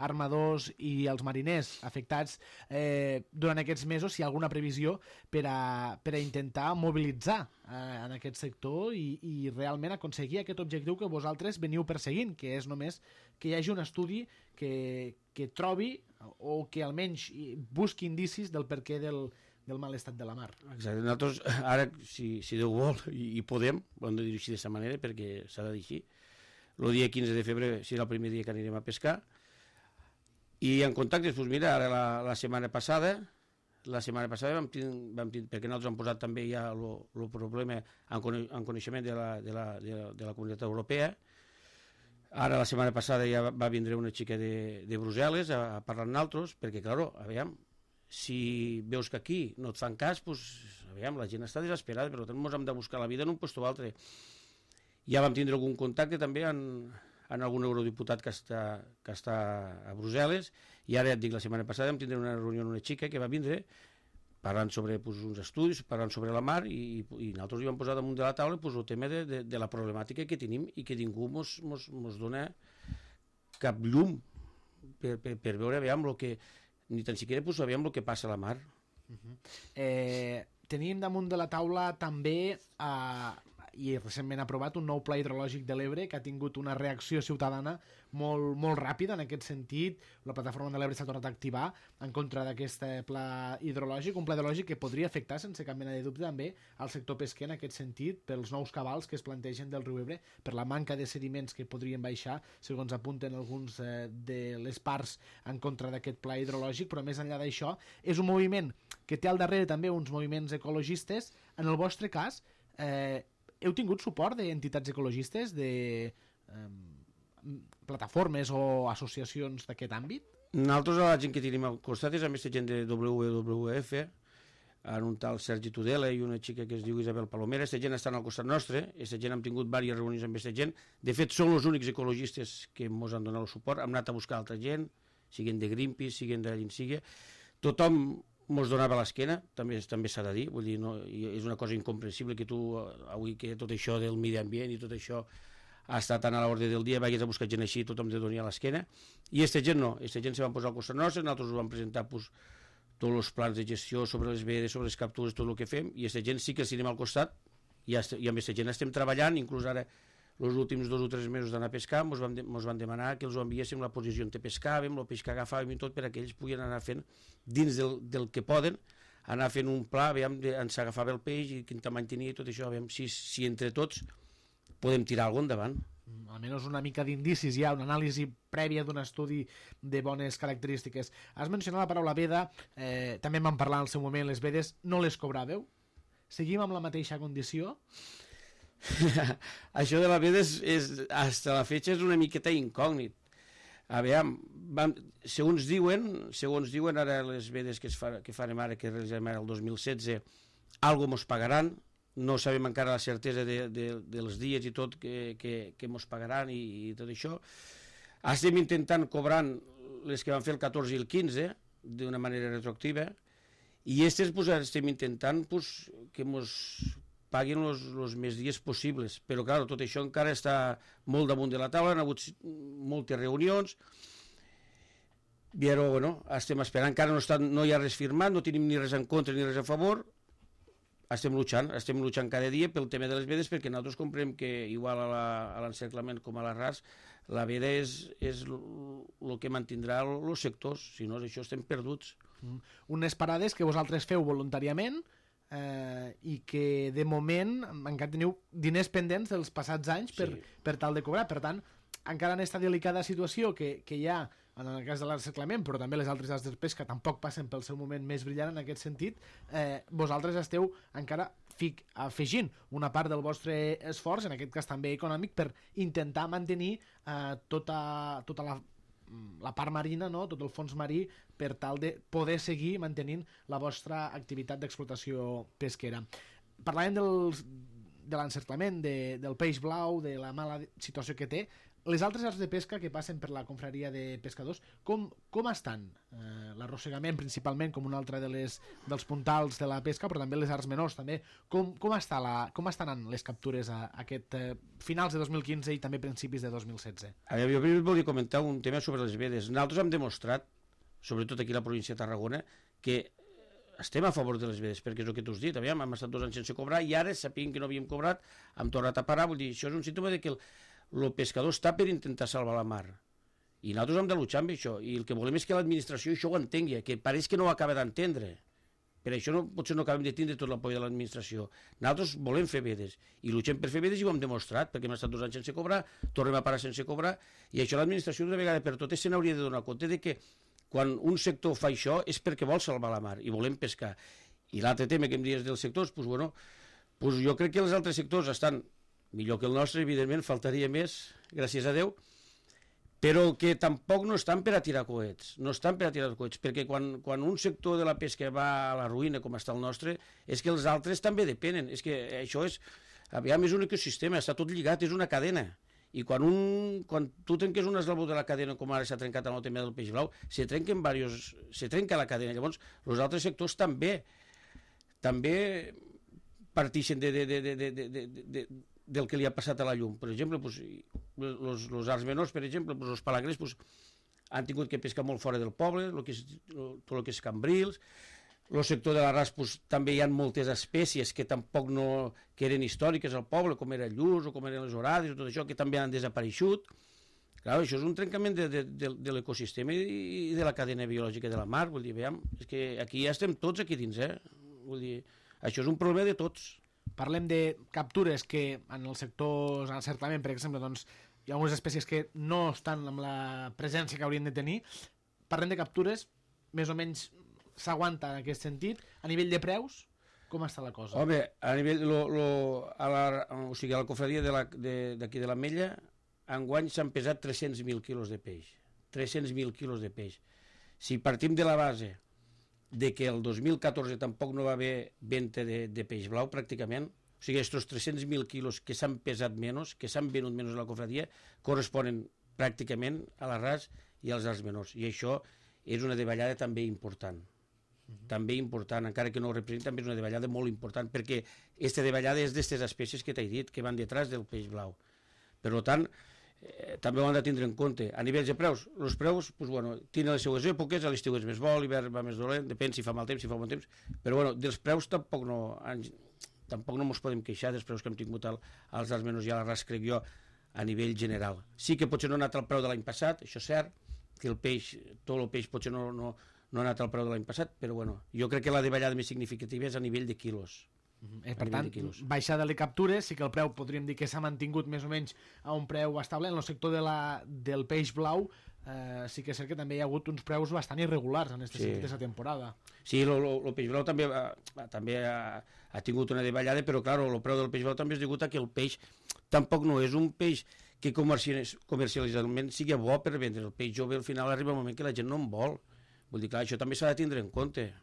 armadors i els mariners afectats durant aquests mesos, si hi ha alguna previsió per a intentar mobilitzar en aquest sector i realment aconseguir aquest objectiu que vosaltres veniu perseguint, que és només que hi hagi un estudi que trobi o que almenys busqui indicis del perquè del mal estat de la mar. Exacte. Nosaltres, ara, si Déu vol, i podem, ho hem de dir així d'aquesta manera, perquè s'ha de dir així, el dia 15 de febrer serà el primer dia que anirem a pescar, i en contactes, doncs mira, ara la setmana passada vam tenir, perquè nosaltres hem posat també ja el problema en coneixement de la Comunitat Europea. Ara, la setmana passada, ja va vindre una xica de Brussel·les a parlar amb nosaltres, perquè, clar, aviam, si veus que aquí no et fan cas, doncs, aviam, la gent està desesperada, per tant, ens hem de buscar la vida en un lloc o altre. Ja vam tindre algun contacte també en algun eurodiputat que està a Brussel·les, i ara ja et dic, la setmana passada vam tindre una reunió amb una xica que va vindre parlant sobre uns estudis, parlant sobre la mar, i nosaltres hi vam posar damunt de la taula el tema de la problemàtica que tenim i que ningú ens dona cap llum per veure, aviam, ni tan siquiera sabíem el que passa a la mar. Tenim damunt de la taula també i recentment aprovat un nou pla hidrològic de l'Ebre que ha tingut una reacció ciutadana molt ràpida en aquest sentit. La plataforma de l'Ebre s'ha tornat a activar en contra d'aquest pla hidrològic, un pla hidrològic que podria afectar sense cap mena de dubte també al sector pesquer en aquest sentit pels nous cabals que es plantegen del riu Ebre, per la manca de sediments que podrien baixar, segons apunten alguns de les parts en contra d'aquest pla hidrològic, però més enllà d'això és un moviment que té al darrere també uns moviments ecologistes. En el vostre cas, heu tingut suport d'entitats ecologistes, de plataformes o associacions d'aquest àmbit? Nosaltres, la gent que tenim al costat és amb aquesta gent de WWF, en un tal Sergi Tudela i una xica que es diu Isabel Palomera. Aquesta gent està al costat nostre, aquesta gent hem tingut diverses reunions amb aquesta gent. De fet, són els únics ecologistes que ens han donat el suport. Hem anat a buscar altra gent, siguin de Greenpeace, siguin d'allà sigui. Tothom ens donava l'esquena, també s'ha de dir, vull dir, no, és una cosa incomprensible que tu, avui que tot això del medi ambient i tot això ha estat tan a l'ordre del dia, vagis a buscar gent així, tothom te donia l'esquena, i aquesta gent no, aquesta gent se van posar al costat nostre, nosaltres ho vam presentar tots els plans de gestió sobre les vedes, sobre les captures, tot el que fem, i aquesta gent sí que els tenim al costat, i amb aquesta gent estem treballant, inclús ara els últims 2 o 3 mesos d'anar a pescar ens van demanar que els ho enviéssim la posició on te pescàvem, el peix que agafàvem i tot, per que ells puguin anar fent, dins del que poden, anar fent un pla, veiem on s'agafava el peix i quin tamany tenia i tot això, veiem si entre tots podem tirar alguna cosa endavant. Almenys una mica d'indicis ja, una anàlisi prèvia d'un estudi de bones característiques. Has mencionat la paraula veda, també en vam parlar al seu moment, les vedes no les cobràveu? Seguim amb la mateixa condició? Això de la veda fins a la fetge és una miqueta incògnit. Aviam, segons diuen ara les vedes que farem ara, que realitzarem ara el 2016, algo mos pagaran, no sabem encara la certesa dels dies i tot que mos pagaran i tot això. Estem intentant cobrant les que van fer el 14 i el 15 d'una manera retroactiva, i aquestes estem intentant que mos paguin els més dies possibles, però clar, tot això encara està molt damunt de la taula, han hagut moltes reunions, però bueno, estem esperant, encara no hi ha res firmat, no tenim ni res en contra ni res a favor, estem luchant cada dia pel tema de les vedes, perquè nosaltres comprem que igual a l'encerclament com a l'Arràs, la veda és el que mantindrà els sectors, si no això estem perduts. Unes parades que vosaltres feu voluntàriament, i que de moment encara teniu diners pendents dels passats anys per tal de cobrar. Per tant, encara en aquesta delicada situació que hi ha en el cas de l'encerclament, però també les altres arts de pesca tampoc passen pel seu moment més brillant en aquest sentit, vosaltres esteu encara afegint una part del vostre esforç, en aquest cas també econòmic, per intentar mantenir tota la part marina, no? Tot el fons marí, per tal de poder seguir mantenint la vostra activitat d'explotació pesquera. Parlàvem de l'encerclament del peix blau, de la mala situació que té, les altres arts de pesca que passen per la confraria de pescadors, com estan? L'arrossegament principalment com un altre dels puntals de la pesca, però també les arts menors també. Com estan anant les captures a aquest finals de 2015 i també principis de 2016? Jo primer volia comentar un tema sobre les vedes. Nosaltres hem demostrat, sobretot aquí a la província de Tarragona, que estem a favor de les vedes, perquè és el que tu has dit, hem estat 2 anys sense cobrar i ara, sapient que no havíem cobrat, hem tornat a parar. Vull dir, això és un símptoma de que el pescador està per intentar salvar la mar. I nosaltres hem de luchar amb això. I el que volem és que l'administració això ho entengui, que pareix que no ho acaba d'entendre. Per això potser no acabem de tindre tot l'apoio de l'administració. Nosaltres volem fer vedes. I luchem per fer vedes i ho hem demostrat, perquè hem estat 2 anys sense cobrar, tornem a parar sense cobrar, i això l'administració d'una vegada per totes se n'hauria de donar compte de que quan un sector fa això és perquè vol salvar la mar i volem pescar. I l'altre tema que em dius dels sectors, jo crec que els altres sectors estan millor que el nostre, evidentment, faltaria més, gràcies a Déu, però que tampoc no estan per a tirar coets, perquè quan un sector de la pesca va a la ruïna, com està el nostre, és que els altres també depenen, és que això és un ecosistema, està tot lligat, és una cadena, i quan tu trenques un eslabó de la cadena, com ara s'ha trencat en el tema del peix blau, se trenca la cadena, llavors els altres sectors també partixen del que li ha passat a la llum. Per exemple, els arts menors, per exemple, els palagrers han tingut que pescar molt fora del poble, tot el que és cambrils. El sector de l'arràs també hi ha moltes espècies que tampoc que eren històriques al poble, com era el lluç o com eren les orades, tot això, que també han desapareixut. Clar, això és un trencament de l'ecosistema i de la cadena biològica de la mar. Vull dir, és que aquí ja estem tots aquí dins, Vull dir, això és un problema de tots. Parlem de captures que en els sectors d'encerclament, per exemple, doncs, hi ha algunes espècies que no estan amb la presència que haurien de tenir. Parlem de captures, més o menys s'aguanta en aquest sentit. A nivell de preus, com està la cosa? Home, a nivell... a la confraria d'aquí de l'Ametlla, enguany s'han pesat 300.000 quilos de peix. 300.000 quilos de peix. Si partim de la base de que el 2014 tampoc no va haver venda de peix blau, pràcticament, o sigui, aquests 300.000 quilos que s'han pesat menys, que s'han venut menys a la confraria, corresponen pràcticament a l'arràs i als arts menors. I això és una davallada també important. També important, encara que no ho representa, també és una davallada molt important, perquè aquesta davallada és d'aquestes espècies que t'he dit, que van detrás del peix blau. Per tant, també ho han de tindre en compte. A nivells de preus, els preus tenen les seues èpoques, a l'estiu és més bo, l'hivern va més dolent, depèn si fa mal temps, si fa bon temps, però dels preus tampoc no ens podem queixar dels preus que hem tingut als arts menors i a l'arràs, crec jo, a nivell general. Sí que potser no ha anat al preu de l'any passat, això és cert, que tot el peix potser no ha anat al preu de l'any passat, però jo crec que la davallada més significativa és a nivell de quilos. Per tant, baixada de captures, sí que el preu podríem dir que s'ha mantingut més o menys a un preu estable. En el sector del peix blau sí que és cert que també hi ha hagut uns preus bastant irregulars en aquesta temporada. Sí, el peix blau també ha tingut una davallada, però clar, el preu del peix blau també és degut a que el peix tampoc no és un peix que comercialment sigui bo per vendre. El peix jove al final arriba un moment que la gent no en vol. Vull dir, clar, això també s'ha de tindre en compte.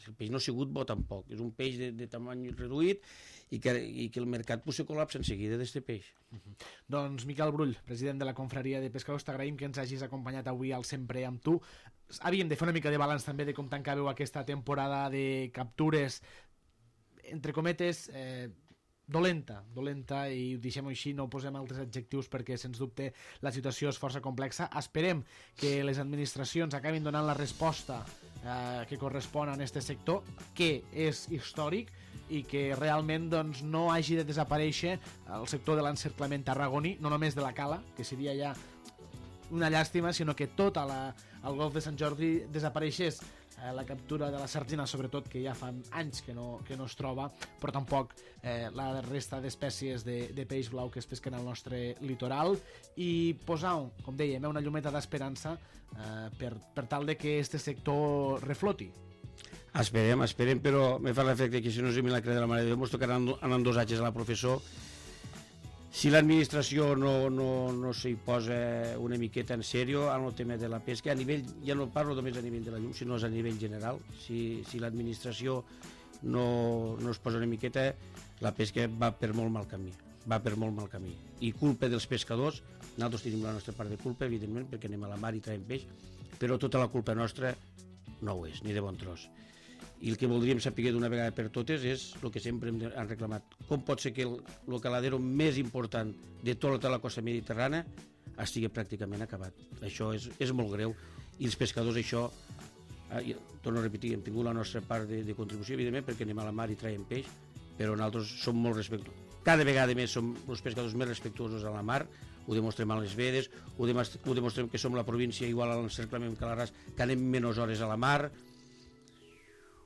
El peix no ha sigut bo tampoc, és un peix de tamany reduït i que el mercat se col·lapsa en seguida d'aquest peix. Doncs Miquel Brull, president de la confraria de pescadors, t'agraïm que ens hagis acompanyat avui al Sempre amb tu. Havíem de fer una mica de balanç també de com tancàveu aquesta temporada de captures, entre cometes, dolenta, i ho deixem així, no posem altres adjectius perquè sens dubte la situació és força complexa. Esperem que les administracions acabin donant la resposta que correspon a aquest sector, que és històric, i que realment no hagi de desaparèixer el sector de l'encerclament tarragoní, no només de la cala, que seria ja una llàstima, sinó que tot el golf de Sant Jordi desapareixés. La captura de la sardina, sobretot, que ja fa anys que no es troba, però tampoc la resta d'espècies de peix blau que es pesquen al nostre litoral, i posar, com dèiem, una llumeta d'esperança per tal de que aquest sector refloti. Esperem, però me fa l'efecte que si no és el milagre de la Mare de Déu, ens tocarà anar en 2 anys a la professor. Si l'administració no s'hi posa una miqueta en sèrio en el tema de la pesca, a nivell, ja no parlo només a nivell de la llum, sinó a nivell general, si l'administració no es posa una miqueta, la pesca va per molt mal camí. I culpa dels pescadors, nosaltres tenim la nostra part de culpa, evidentment, perquè anem a la mar i traiem peix, però tota la culpa nostra no ho és, ni de bon tros. I el que voldríem saber d'una vegada per totes és el que sempre han reclamat. Com pot ser que el caladero més important de tota la costa mediterrània estigui pràcticament acabat? Això és molt greu, i els pescadors això, torno a repetir, hem tingut la nostra part de contribució, evidentment, perquè anem a la mar i traiem peix, però nosaltres som molt respectuosos. Cada vegada més som els pescadors més respectuosos a la mar, ho demostrem a les vedes, ho demostrem que som la província igual a l'encerclament que l'Arràs, que anem menys hores a la mar,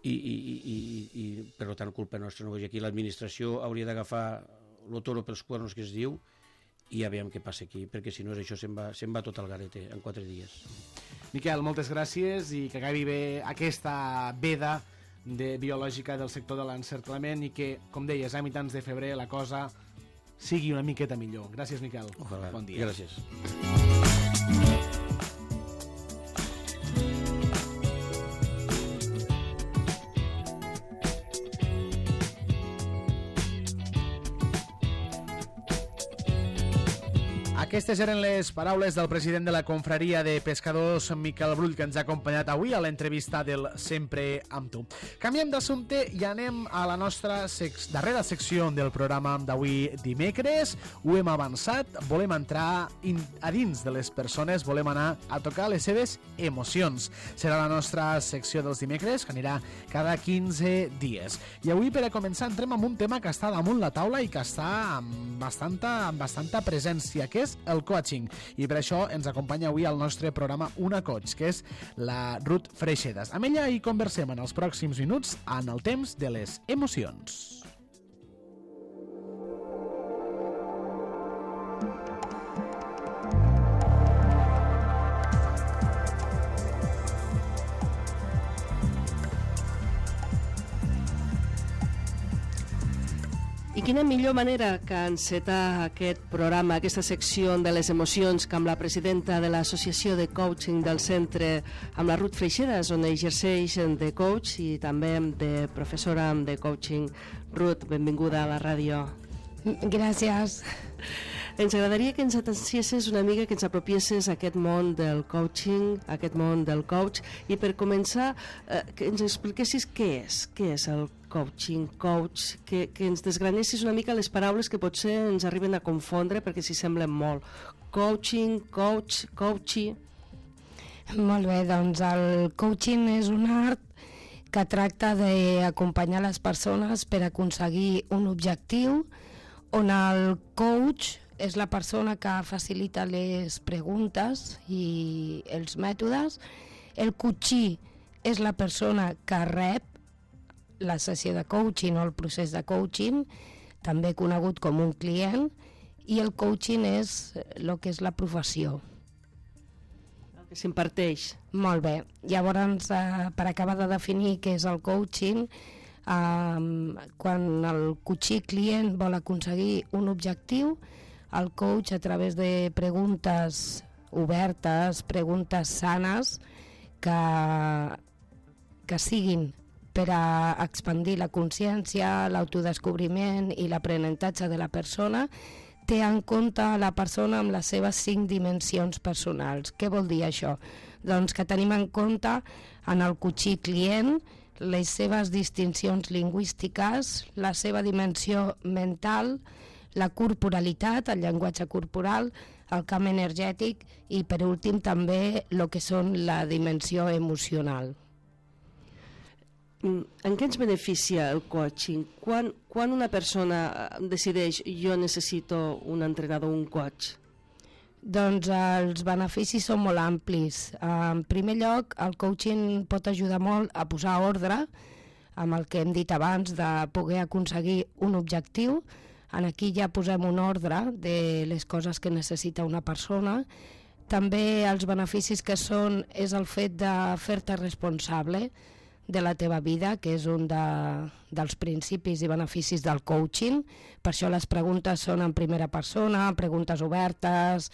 i per tant culpa nostra no. Aquí l'administració hauria d'agafar el toro pels cuernos, que es diu, i ja veiem què passa aquí, perquè si no és això se'n va tot al garete en 4 dies. Miquel, moltes gràcies i que acabi bé aquesta veda biològica del sector de l'encerclament i que, com deies, a mitjans de febrer la cosa sigui una miqueta millor. Gràcies, Miquel. Ojalà. Bon dia. Gràcies. Aquestes eren les paraules del president de la confraria de pescadors, Miquel Brull, que ens ha acompanyat avui a l'entrevista del Sempre amb tu. Canviem d'assumpte i anem a la nostra darrera secció del programa d'avui dimecres. Ho hem avançat, volem entrar a dins de les persones, volem anar a tocar les seves emocions. Serà la nostra secció dels dimecres, que anirà cada 15 dies. I avui, per a començar, entrem en un tema que està damunt la taula i que està amb bastanta presència, que és el coaching, i per això ens acompanya avui al nostre programa una coach, que és la Ruth Freixedas. Amb ella hi conversem en els pròxims minuts en el temps de les emocions. I quina millor manera que encetar aquest programa, aquesta secció de les emocions, que amb la presidenta de l'Associació de Coaching del Centre, amb la Ruth Freixedas, on exerceix de coach i també de professora de coaching. Ruth, benvinguda a la ràdio. Gràcies. Ens agradaria que ens atenciessis una mica, que ens apropiessis a aquest món del coaching, a aquest món del coach, i per començar, que ens expliquessis què és el coaching, coach, que ens desgranessis una mica les paraules que potser ens arriben a confondre perquè s'hi semblen molt. Coaching, coach, coachy... Molt bé, doncs el coaching és un art que tracta d'acompanyar les persones per aconseguir un objectiu, on el coach és la persona que facilita les preguntes i els mètodes. El coachí és la persona que rep la sessió de coaching o el procés de coaching, també conegut com un client, i el coaching és el que és la professió. El que s'imparteix. Molt bé. Llavors, per acabar de definir què és el coaching, quan el coachí client vol aconseguir un objectiu, el coach, a través de preguntes obertes, preguntes sanes, que siguin per a expandir la consciència, l'autodescobriment i l'aprenentatge de la persona, té en compte la persona amb les seves 5 dimensions personals. Què vol dir això? Doncs que tenim en compte en el coachí client les seves distincions lingüístiques, la seva dimensió mental, la corporalitat, el llenguatge corporal, el camp energètic i, per últim, també el que són la dimensió emocional. En què ens beneficia el coaching? Quan una persona decideix jo necessito un entrenador, un coach? Doncs els beneficis són molt amplis. En primer lloc, el coaching pot ajudar molt a posar ordre amb el que hem dit abans de poder aconseguir un objectiu. Aquí ja posem un ordre de les coses que necessita una persona. També els beneficis que són és el fet de fer-te responsable de la teva vida, que és un dels principis i beneficis del coaching. Per això les preguntes són en primera persona, preguntes obertes,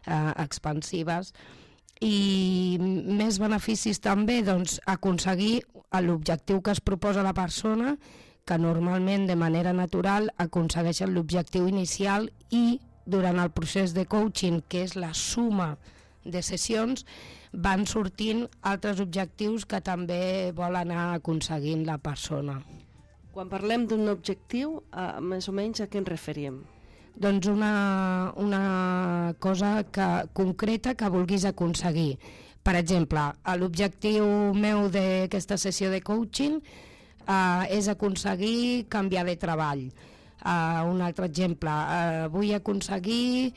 expansives. I més beneficis també, doncs, aconseguir l'objectiu que es proposa la persona, que normalment de manera natural aconsegueixen l'objectiu inicial i durant el procés de coaching, que és la suma de sessions, van sortint altres objectius que també vol anar aconseguint la persona. Quan parlem d'un objectiu, més o menys a què ens referim? Doncs una cosa concreta que vulguis aconseguir. Per exemple, l'objectiu meu d'aquesta sessió de coaching és aconseguir canviar de treball. Un altre exemple, vull aconseguir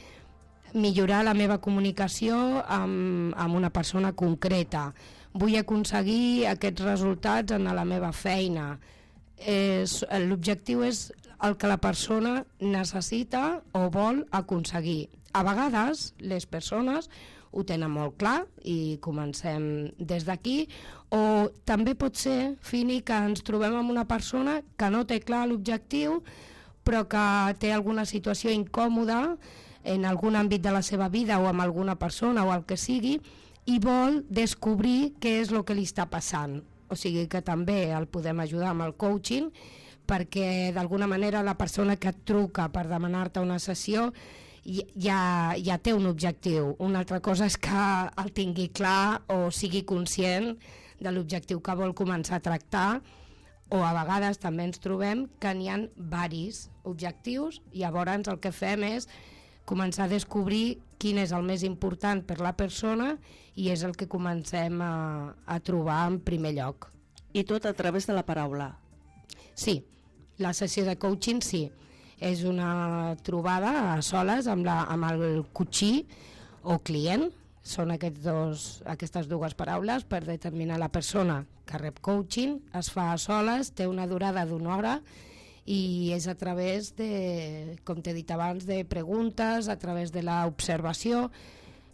millorar la meva comunicació amb una persona concreta. Vull aconseguir aquests resultats en la meva feina. L'objectiu és el que la persona necessita o vol aconseguir. A vegades les persones ho tenen molt clar i comencem des d'aquí, o també pot ser, Fini, que ens trobem amb una persona que no té clar l'objectiu però que té alguna situació incòmoda en algun àmbit de la seva vida o amb alguna persona o el que sigui i vol descobrir què és el que li està passant. O sigui que també el podem ajudar amb el coaching perquè d'alguna manera la persona que et truca per demanar-te una sessió ja té un objectiu. Una altra cosa és que el tingui clar o sigui conscient de l'objectiu que vol començar a tractar, o a vegades també ens trobem que n'hi ha diversos objectius i llavors el que fem és començar a descobrir quin és el més important per la persona i és el que comencem a trobar en primer lloc. I tot a través de la paraula? Sí, la sessió de coaching sí. És una trobada a soles amb el coachí o client. Són aquestes dues paraules per determinar la persona que rep coaching. Es fa a soles, té una durada d'1 hora i és a través de, com t'he dit abans, de preguntes, a través de l'observació.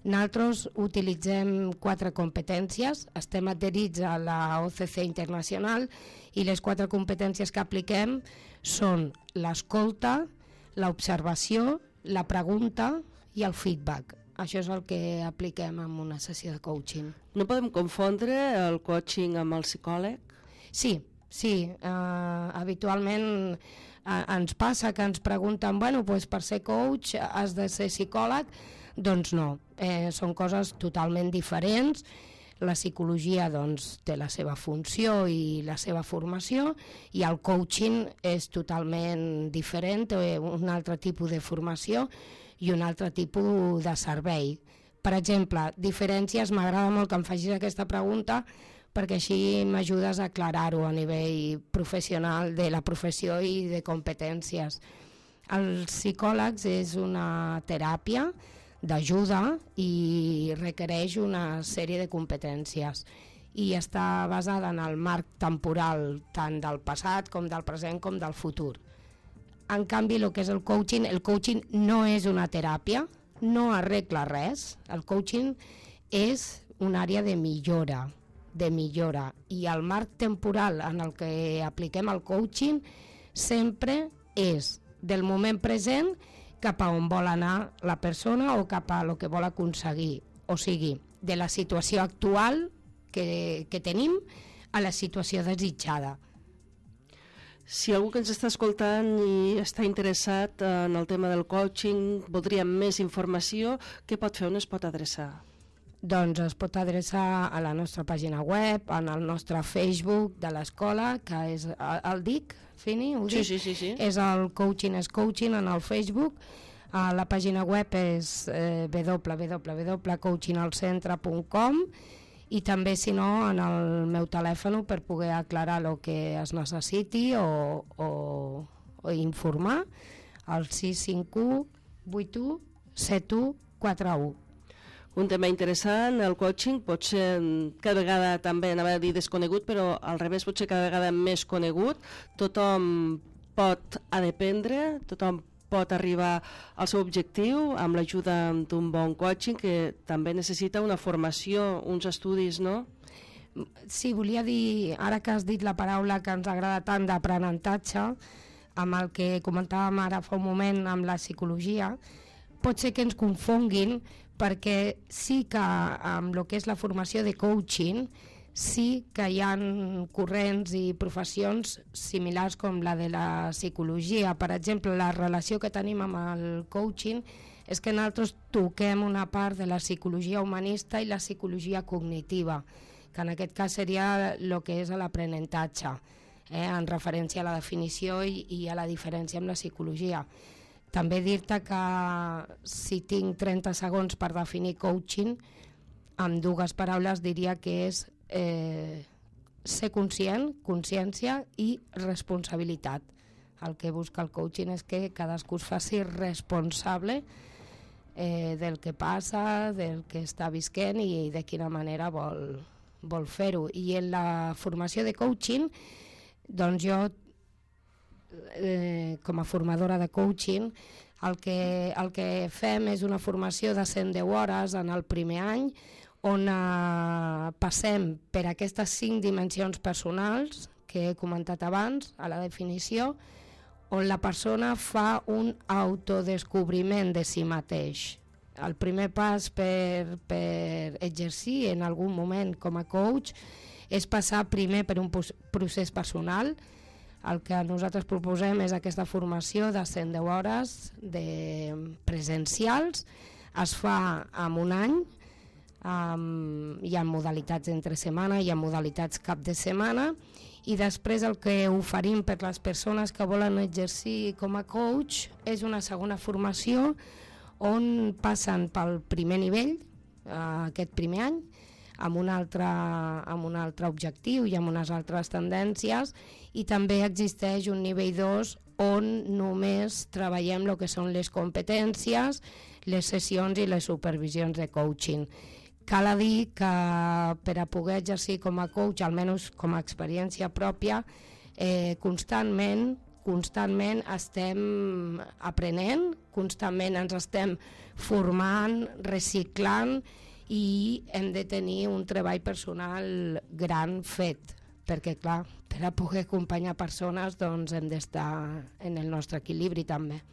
Nosaltres utilitzem 4 competències, estem adherits a la OCC Internacional i les 4 competències que apliquem són l'escolta, l'observació, la pregunta i el feedback. Això és el que apliquem en una sessió de coaching. No podem confondre el coaching amb el psicòleg? Sí. Habitualment ens passa que ens pregunten per ser coach has de ser psicòleg? Doncs no, són coses totalment diferents. La psicologia té la seva funció i la seva formació i el coaching és totalment diferent, té un altre tipus de formació i un altre tipus de servei. Per exemple, diferències, m'agrada molt que em facis aquesta pregunta perquè així m'ajudes a aclarar-ho a nivell professional de la professió i de competències. Els psicòlegs és una teràpia d'ajuda i requereix una sèrie de competències i està basada en el marc temporal tant del passat com del present com del futur. En canvi, el que és el coaching no és una teràpia, no arregla res. El coaching és una àrea de millora i el marc temporal en el que apliquem el coaching sempre és del moment present cap a on vol anar la persona o cap a el que vol aconseguir. O sigui, de la situació actual que tenim a la situació desitjada. Si algú que ens està escoltant i està interessat en el tema del coaching, voldria més informació, què pot fer? On es pot adreçar? Doncs es pot adreçar a la nostra pàgina web, en el nostre Facebook de l'escola, que és el DIC, Fini, ho dic? Sí. És el Coaching és Coaching en el Facebook. La pàgina web és www.coachingalcentre.com i també, si no, en el meu telèfon per poder aclarar el que es necessiti o informar, al 651 81 71 41. Un tema interessant, el coaching, pot ser cada vegada també, anava a dir desconegut, però al revés pot ser cada vegada més conegut. Tothom pot aprendre, tothom pot arribar al seu objectiu amb l'ajuda d'un bon coaching que també necessita una formació, uns estudis, no? Sí, volia dir, ara que has dit la paraula que ens agrada tant d'aprenentatge, amb el que comentàvem ara fa un moment amb la psicologia, pot ser que ens confonguin perquè sí que amb el que és la formació de coaching Sí que hi ha corrents i professions similars com la de la psicologia. Per exemple, la relació que tenim amb el coaching és que nosaltres toquem una part de la psicologia humanista i la psicologia cognitiva, que en aquest cas seria el que és l'aprenentatge, en referència a la definició i a la diferència amb la psicologia. També dir-te que si tinc 30 segons per definir coaching, amb dues paraules diria que és ser conscient, consciència i responsabilitat. El que busca el coaching és que cadascú es faci responsable del que passa, del que està visquent i de quina manera vol fer-ho. I en la formació de coaching, doncs jo, com a formadora de coaching, el que fem és una formació de 110 hores en el primer any, on passem per aquestes 5 dimensions personals que he comentat abans a la definició, on la persona fa un autodescobriment de si mateix. El primer pas per exercir en algun moment com a coach és passar primer per un procés personal. El que nosaltres proposem és aquesta formació de 110 hores presencials. Es fa en un any. Hi ha modalitats entre setmana, hi ha modalitats cap de setmana, i després el que oferim per les persones que volen exercir com a coach és una segona formació on passen pel primer nivell, aquest primer any, amb un altre objectiu i amb unes altres tendències, i també existeix un nivell 2 on només treballem el que són les competències, les sessions i les supervisions de coaching. Cal dir que per a poder exercir com a coach, almenys com a experiència pròpia, constantment estem aprenent, constantment ens estem formant, reciclant, i hem de tenir un treball personal gran fet, perquè clar, per a poder acompanyar persones doncs hem d'estar en el nostre equilibri també.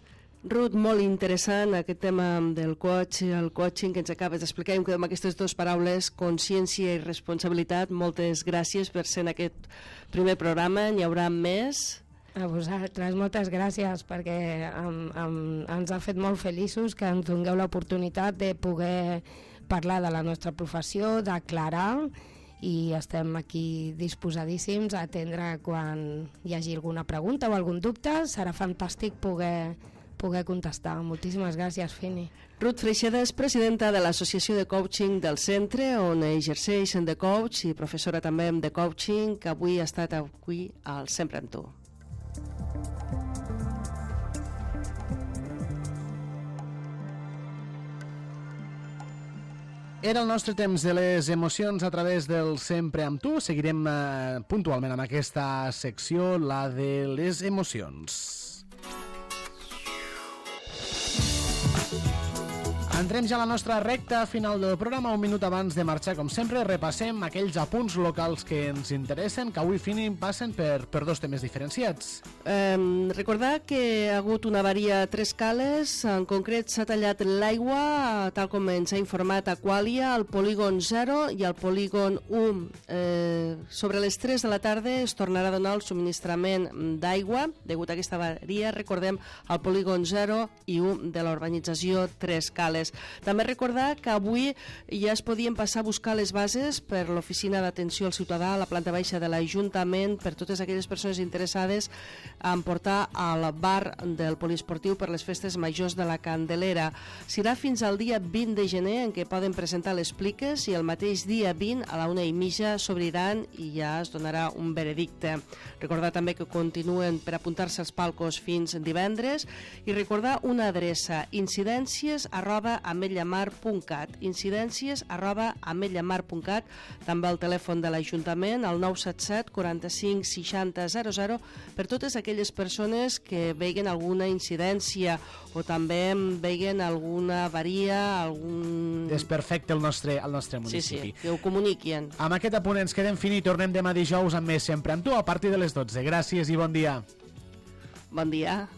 Ruth, molt interessant aquest tema del el coaching que ens acabes d'explicar, i em quedem amb aquestes dues paraules, consciència i responsabilitat. Moltes gràcies per ser en aquest primer programa, n'hi haurà més. A vosaltres, moltes gràcies, perquè ens ha fet molt feliços que ens dongueu l'oportunitat de poder parlar de la nostra professió, d'aclarar, i estem aquí disposadíssims a atendre quan hi hagi alguna pregunta o algun dubte. Serà fantàstic poder contestar. Moltíssimes gràcies, Fini. Ruth Freixeda és presidenta de l'Associació de Coaching del Centre, on exerceix de coach i professora també de coaching, que avui ha estat aquí al Sempre amb tu. Era el nostre temps de les emocions a través del Sempre amb tu. Seguirem puntualment amb aquesta secció, la de les emocions. Entrem ja a la nostra recta final del programa. Un minut abans de marxar, com sempre, repassem aquells apunts locals que ens interessen, que avui passen per dos temes diferenciats. Recordar que ha hagut una avaria a Tres Cales, en concret s'ha tallat l'aigua, tal com ens ha informat Aqualia, al polígon 0 i al polígon 1. Sobre les 3 de la tarda es tornarà a donar el subministrament d'aigua, degut a aquesta avaria, recordem, al polígon 0 i 1 de la urbanització Tres Cales. També recordar que avui ja es podien passar a buscar les bases per l'Oficina d'Atenció al Ciutadà a la planta baixa de l'Ajuntament per totes aquelles persones interessades en portar al bar del poliesportiu per les festes majors de la Candelera. Serà fins al dia 20 de gener en què poden presentar les pliques, i el mateix dia 20 a la 1:30 s'obriran i ja es donarà un veredicte. Recordar també que continuen per apuntar-se als palcos fins divendres, i recordar una adreça: incidències@ametlllamar.cat, incidències@ametlllamar.cat, també el telèfon de l'Ajuntament, el 977 45 60 00, per totes aquelles persones que veguen alguna incidència o també veguen alguna avaria, algun desperfecte al nostre municipi. Sí, que ho comuniquin. Amb aquest apunt ens quedem finit, tornem demà dijous amb més Sempre amb tu a partir de les 12. Gràcies i bon dia. Bon dia.